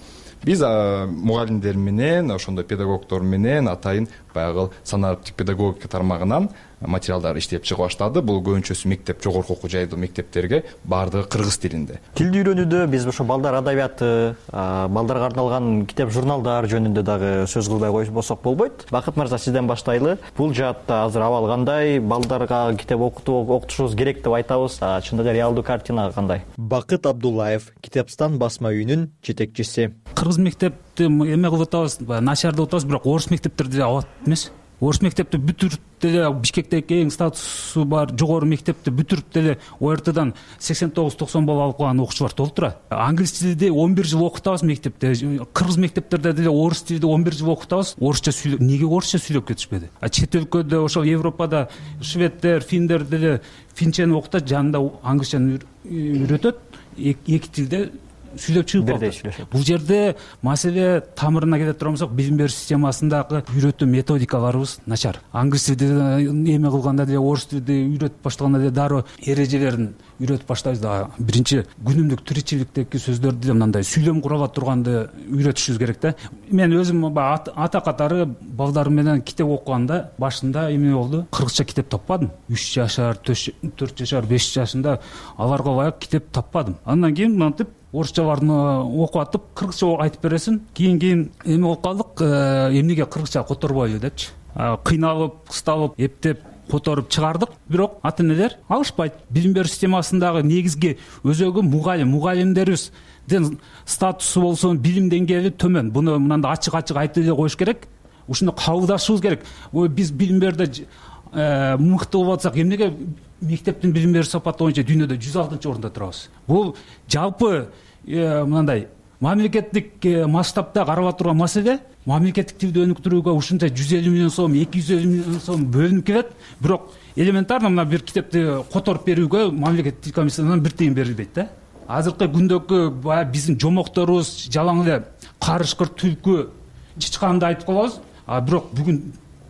Биз мугалимдер менен, ошондой педагогдор менен атайын баягы санариптик педагогика тармагынан материалдар иштеп чыга баштады. Бул көбүнчөсү мектеп, жогорку окуу жайдуу мектептерге баардыгы кыргыз тилинде. Тилди үйрөнүүдө биз ошо балдар адабияты, балдарга арналган китеп, журналдар жөнүндө дагы сөз кылбай койбосок болбойт. Бакыт мырза, сизден баштайлы. Бул жаатта азыр абал кандай? Балдарга китеп окутуу окутушубуз керек деп айтабыз. Чындыгы реалдуу картина кандай? Бакыт Абдуллаев, Китепстан басма үйүнүн жетекчиси. Кыргыз мектепти эме кылып атабыз, начар деп атабыз, бирок орус мектептерди абат эмес. Орус мектепти бүтүрүп деле Бишкектеги эң статусу бар жогору мектепти бүтүрүп деле О Р Тдан сексен тогуз токсон балл алып калган окуучулар толуп турат. Англис тилди он бир жыл окутабыз мектепте. Кыргыз мектептерде деле орус тилди он бир жыл окутабыз. Орусча сүйлөп, эмнеге орусча сүйлөп кетишпеди? А чет өлкөдө, ошол Европада шведтер, финдер деле финчени окутат, жанында англисчаны үйрөтөт. Эки тилде сүйлөп чыгып калат. Бул жерде маселе тамырына келе турсак, билим берүү системасындагы үйрөтүү методикаларыбыз начар. Англис тилди эме кылганда деле, орус тилди үйрөтүп баштаганда деле дароо эрежелерин үйрөтүп баштайбыз да. Биринчи күнүмдүк тиричиликтеги сөздөрдү деле мындай сүйлөм кура турганды үйрөтүшүбүз керек да. Мен өзүм ата катары балдарым менен китеп окуганда башында эме болду, кыргызча китеп таппадым. үч жашар, төрт жашар, беш жашында аларга ылайык китеп таппадым. Андан кийин мынтип орусчаларын окуп атып, кыргызча айтып бересиң. Кийин кийин эме болуп калдык, эмнеге кыргызча которбойлу депчи. Кыйналып, кысталып, эптеп которуп чыгардык. Бирок ата-энелер алышпайт. Билим берүү системасындагы негизги өзөгү мугалим, мугалимдерибиздин статусу болсун, билим деңгээли төмөн. Буну мындай ачык-ачык айтып эле коюш керек. Ушуну кабылдашыбыз керек. Биз билим берүүдө мыкты болуп атсак, эмнеге мектептин билим берүү сапаты боюнча дүйнөдө жүз алтынчы орунда турабыз? Бул жалпы мындай мамлекеттик масштабта каралып турган маселе. Мамлекеттик тилди өнүктүрүүгө ушунча жүз элүү миллион сом, эки жүз элүү миллион сом бөлүнүп келет. Бирок элементарно мына бир китепти которуп берүүгө мамлекеттик тил комиссиясынан бир тыйын берилбейт да. Азыркы күндөгү баягы биздин жомокторубуз жалаң эле карышкыр, түлкү, чычканды айтып калабыз. А бирок бүгүн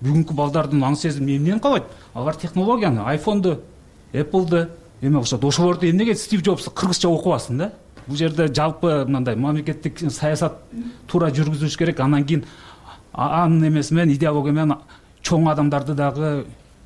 бүгүнкү балдардын аң сезими эмнени каалайт? Алар технологияны, айфонду, Apple'ды эме кылышат. Ошолорду эмнеге Стив Джобс кыргызча окубасын да? Бул жерде жалпы мындай мамлекеттик саясат туура жүргүзүлүш керек. Андан кийин анын эмеси менен, идеология менен чоң адамдарды дагы,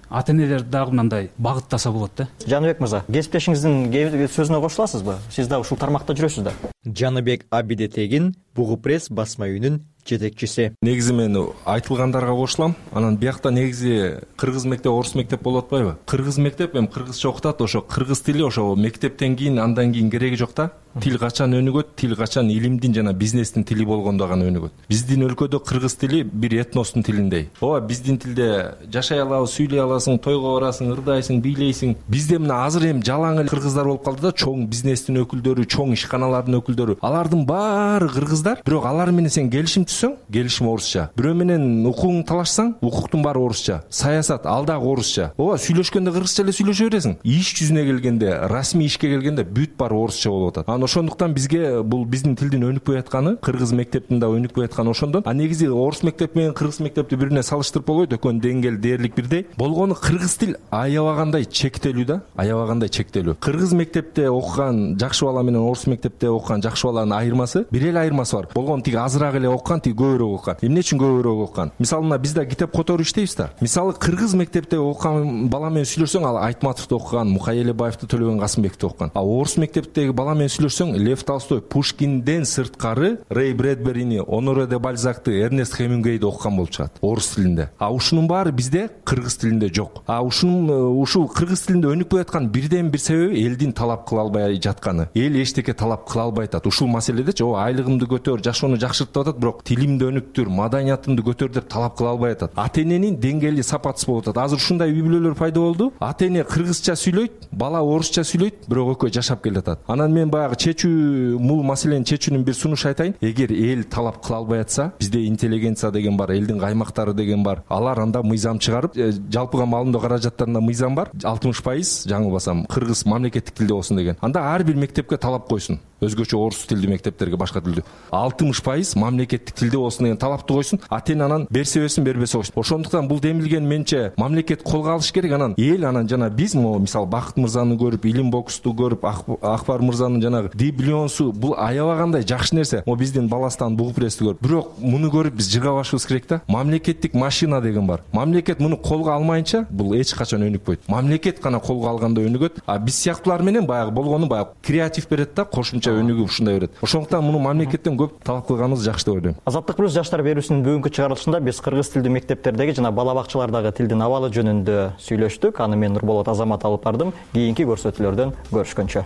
ата-энелерди дагы мындай багыттаса болот да. Жаныбек мырза, кесиптешиңиздин сөзүнө кошуласызбы? Сиз дагы ушул тармакта жүрөсүз да. Жаныбек Абидетегин, Бугу пресс басма үйүнүн жетекчиси. Негизи мен айтылгандарга кошулам. Анан биякта негизи кыргыз мектеп, орус мектеп болуп атпайбы? Кыргыз мектеп эми кыргызча окутат, ошо кыргыз тили ошо мектептен кийин, андан кийин кереги жок да. Тил качан өнүгөт? Тил качан илимдин жана бизнестин тили болгондо гана өнүгөт. Биздин өлкөдө кыргыз тили бир этностун тилиндей. Ооба, биздин тилде жашай алабыз, сүйлөй аласың, тойго барасың, ырдайсың, бийлейсиң. Бизде мына азыр эми жалаң эле кыргыздар болуп калды да, чоң бизнестин өкүлдөрү, чоң ишканалардын өкүлдөрү. Алардын баары кыргыздар, бирок алар менен сен келишим түзсөң, келишим орусча. Бирөө менен укугуңду талашсаң, укуктун баары орусча. Саясат ал дагы орусча. Ооба, сүйлөшкөндө кыргызча эле сүйлөшө бересиң. Иш жүзүнө келгенде, расмий ишке келгенде бүт баары орусча болуп атат. Анан ошондуктан бизге бул биздин тилдин өнүкпөй атканы, кыргыз мектептин да өнүкпөй атканы ошондон. А негизи орус мектеп менен кыргыз мектепти бири бирине салыштырып болбойт, экөөнүн деңгээли дээрлик бирдей. Болгону кыргыз тил аябагандай чектелүү да, аябагандай чектелүү. Кыргыз мектепте окуган жакшы бала менен орус мектепте окуган жакшы баланын айырмасы, бир эле айырмасы бар. Болгону тиги азыраак эле окуган, тиги көбүрөөк окуган. Эмне үчүн көбүрөөк окуган? Мисалы мына бизде китеп которуп иштейбиз да. Мисалы кыргыз мектепте окуган бала менен сүйлөшсөң, ал Айтматовду окуган, Мукай Элебаевди, Төлөгөн Касымбекти окуган. А орус мектептеги бала менен сүйлөшсөң, Лев Толстой, Пушкинден сырткары Рэй Брэдберини, Оноре де Бальзакты, Эрнест Хемингуэйди окуган болуп чыгат орус тилинде. А ушунун баары бизде кыргыз тилинде жок. А ушунун ушул кыргыз тилинде өнүкпөй аткан бирден бир себеби элдин талап кыла албай жатканы. Эл эчтеке талап кыла албай атат. Ушул маселедечи, о айлыгымды көтөр, жашоону жакшырт деп атат, бирок тилимди өнүктүр, маданиятымды көтөр деп талап кыла албай атат. Ата-эненин деңгээли сапатсыз болуп атат. Азыр ушундай үй бүлөлөр пайда болду. Ата-эне кыргызча сүйлөйт, бала орусча сүйлөйт, бирок экөө жашап келатат. Анан мен баягы чечүү, мул маселени чечүүнүн бир сунуш айтайын. Эгер эл талап кыла албай атса, бизде интеллигенция деген бар, элдин каймактары деген бар. Алар анда мыйзам чыгарып, жалпыга маалымдоо каражаттарында мыйзам бар, алтымыш пайыз жаңылбасам кыргыз мамлекеттик тилде болсун деген. Анда ар бир мектепке талап койсун. өзгөчө орус тилдүү мектептерге башка тилдүү алтымыш пайыз мамлекеттик тилде болсун деген талапты койсун, ата эне анан берсе берсин, бербесе койсун. Ошондуктан бул демилген менче мамлекет колго алыш керек. Анан эл анан жана биз могу мисалы Бакыт мырзаны көрүп, Илим Бокусту көрүп, Акбар мырзанын жанагы Диблионсу бул аябагандай жакшы нерсе. Могу биздин Баластан Бугупрессти көрүп, бирок муну көрүп биз жыргабашыбыз керек да. Мамлекеттик машина деген бар. Мамлекет муну колго алмайынча бул эч качан өнүкпөйт. Мамлекет гана колго алганда өнүгөт. А биз сыяктуулар менен баягы болгону баягы креатив берет да, кошумча өнүгүп ушундай берет. Ошондуктан муну мамлекеттен көп талап кылганыбыз жакшы деп ойлойм. Азаттык плюс жаштар берүүсүнүн бүгүнкү чыгарылышында биз кыргыз тилдүү мектептердеги жана бала бакчалардагы тилдин абалы жөнүндө сүйлөштүк. Аны мен Нурболот Азамат алып бардым. Кийинки көрсөтүүлөрдөн көрүшкөнчө.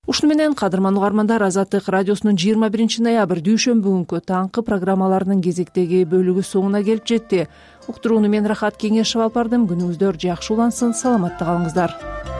Ушуну менен кадырман угармандар, Азаттык радиосунун жыйырма биринчи ноябрь дүйшөмбү күнкү таңкы программаларынын кезектеги бөлүгү соңуна келип жетти. Уктурууну мен Рахат Кеңешев алып бардым. Күнүңүздөр жакшы улансын, саламатта калыңыздар.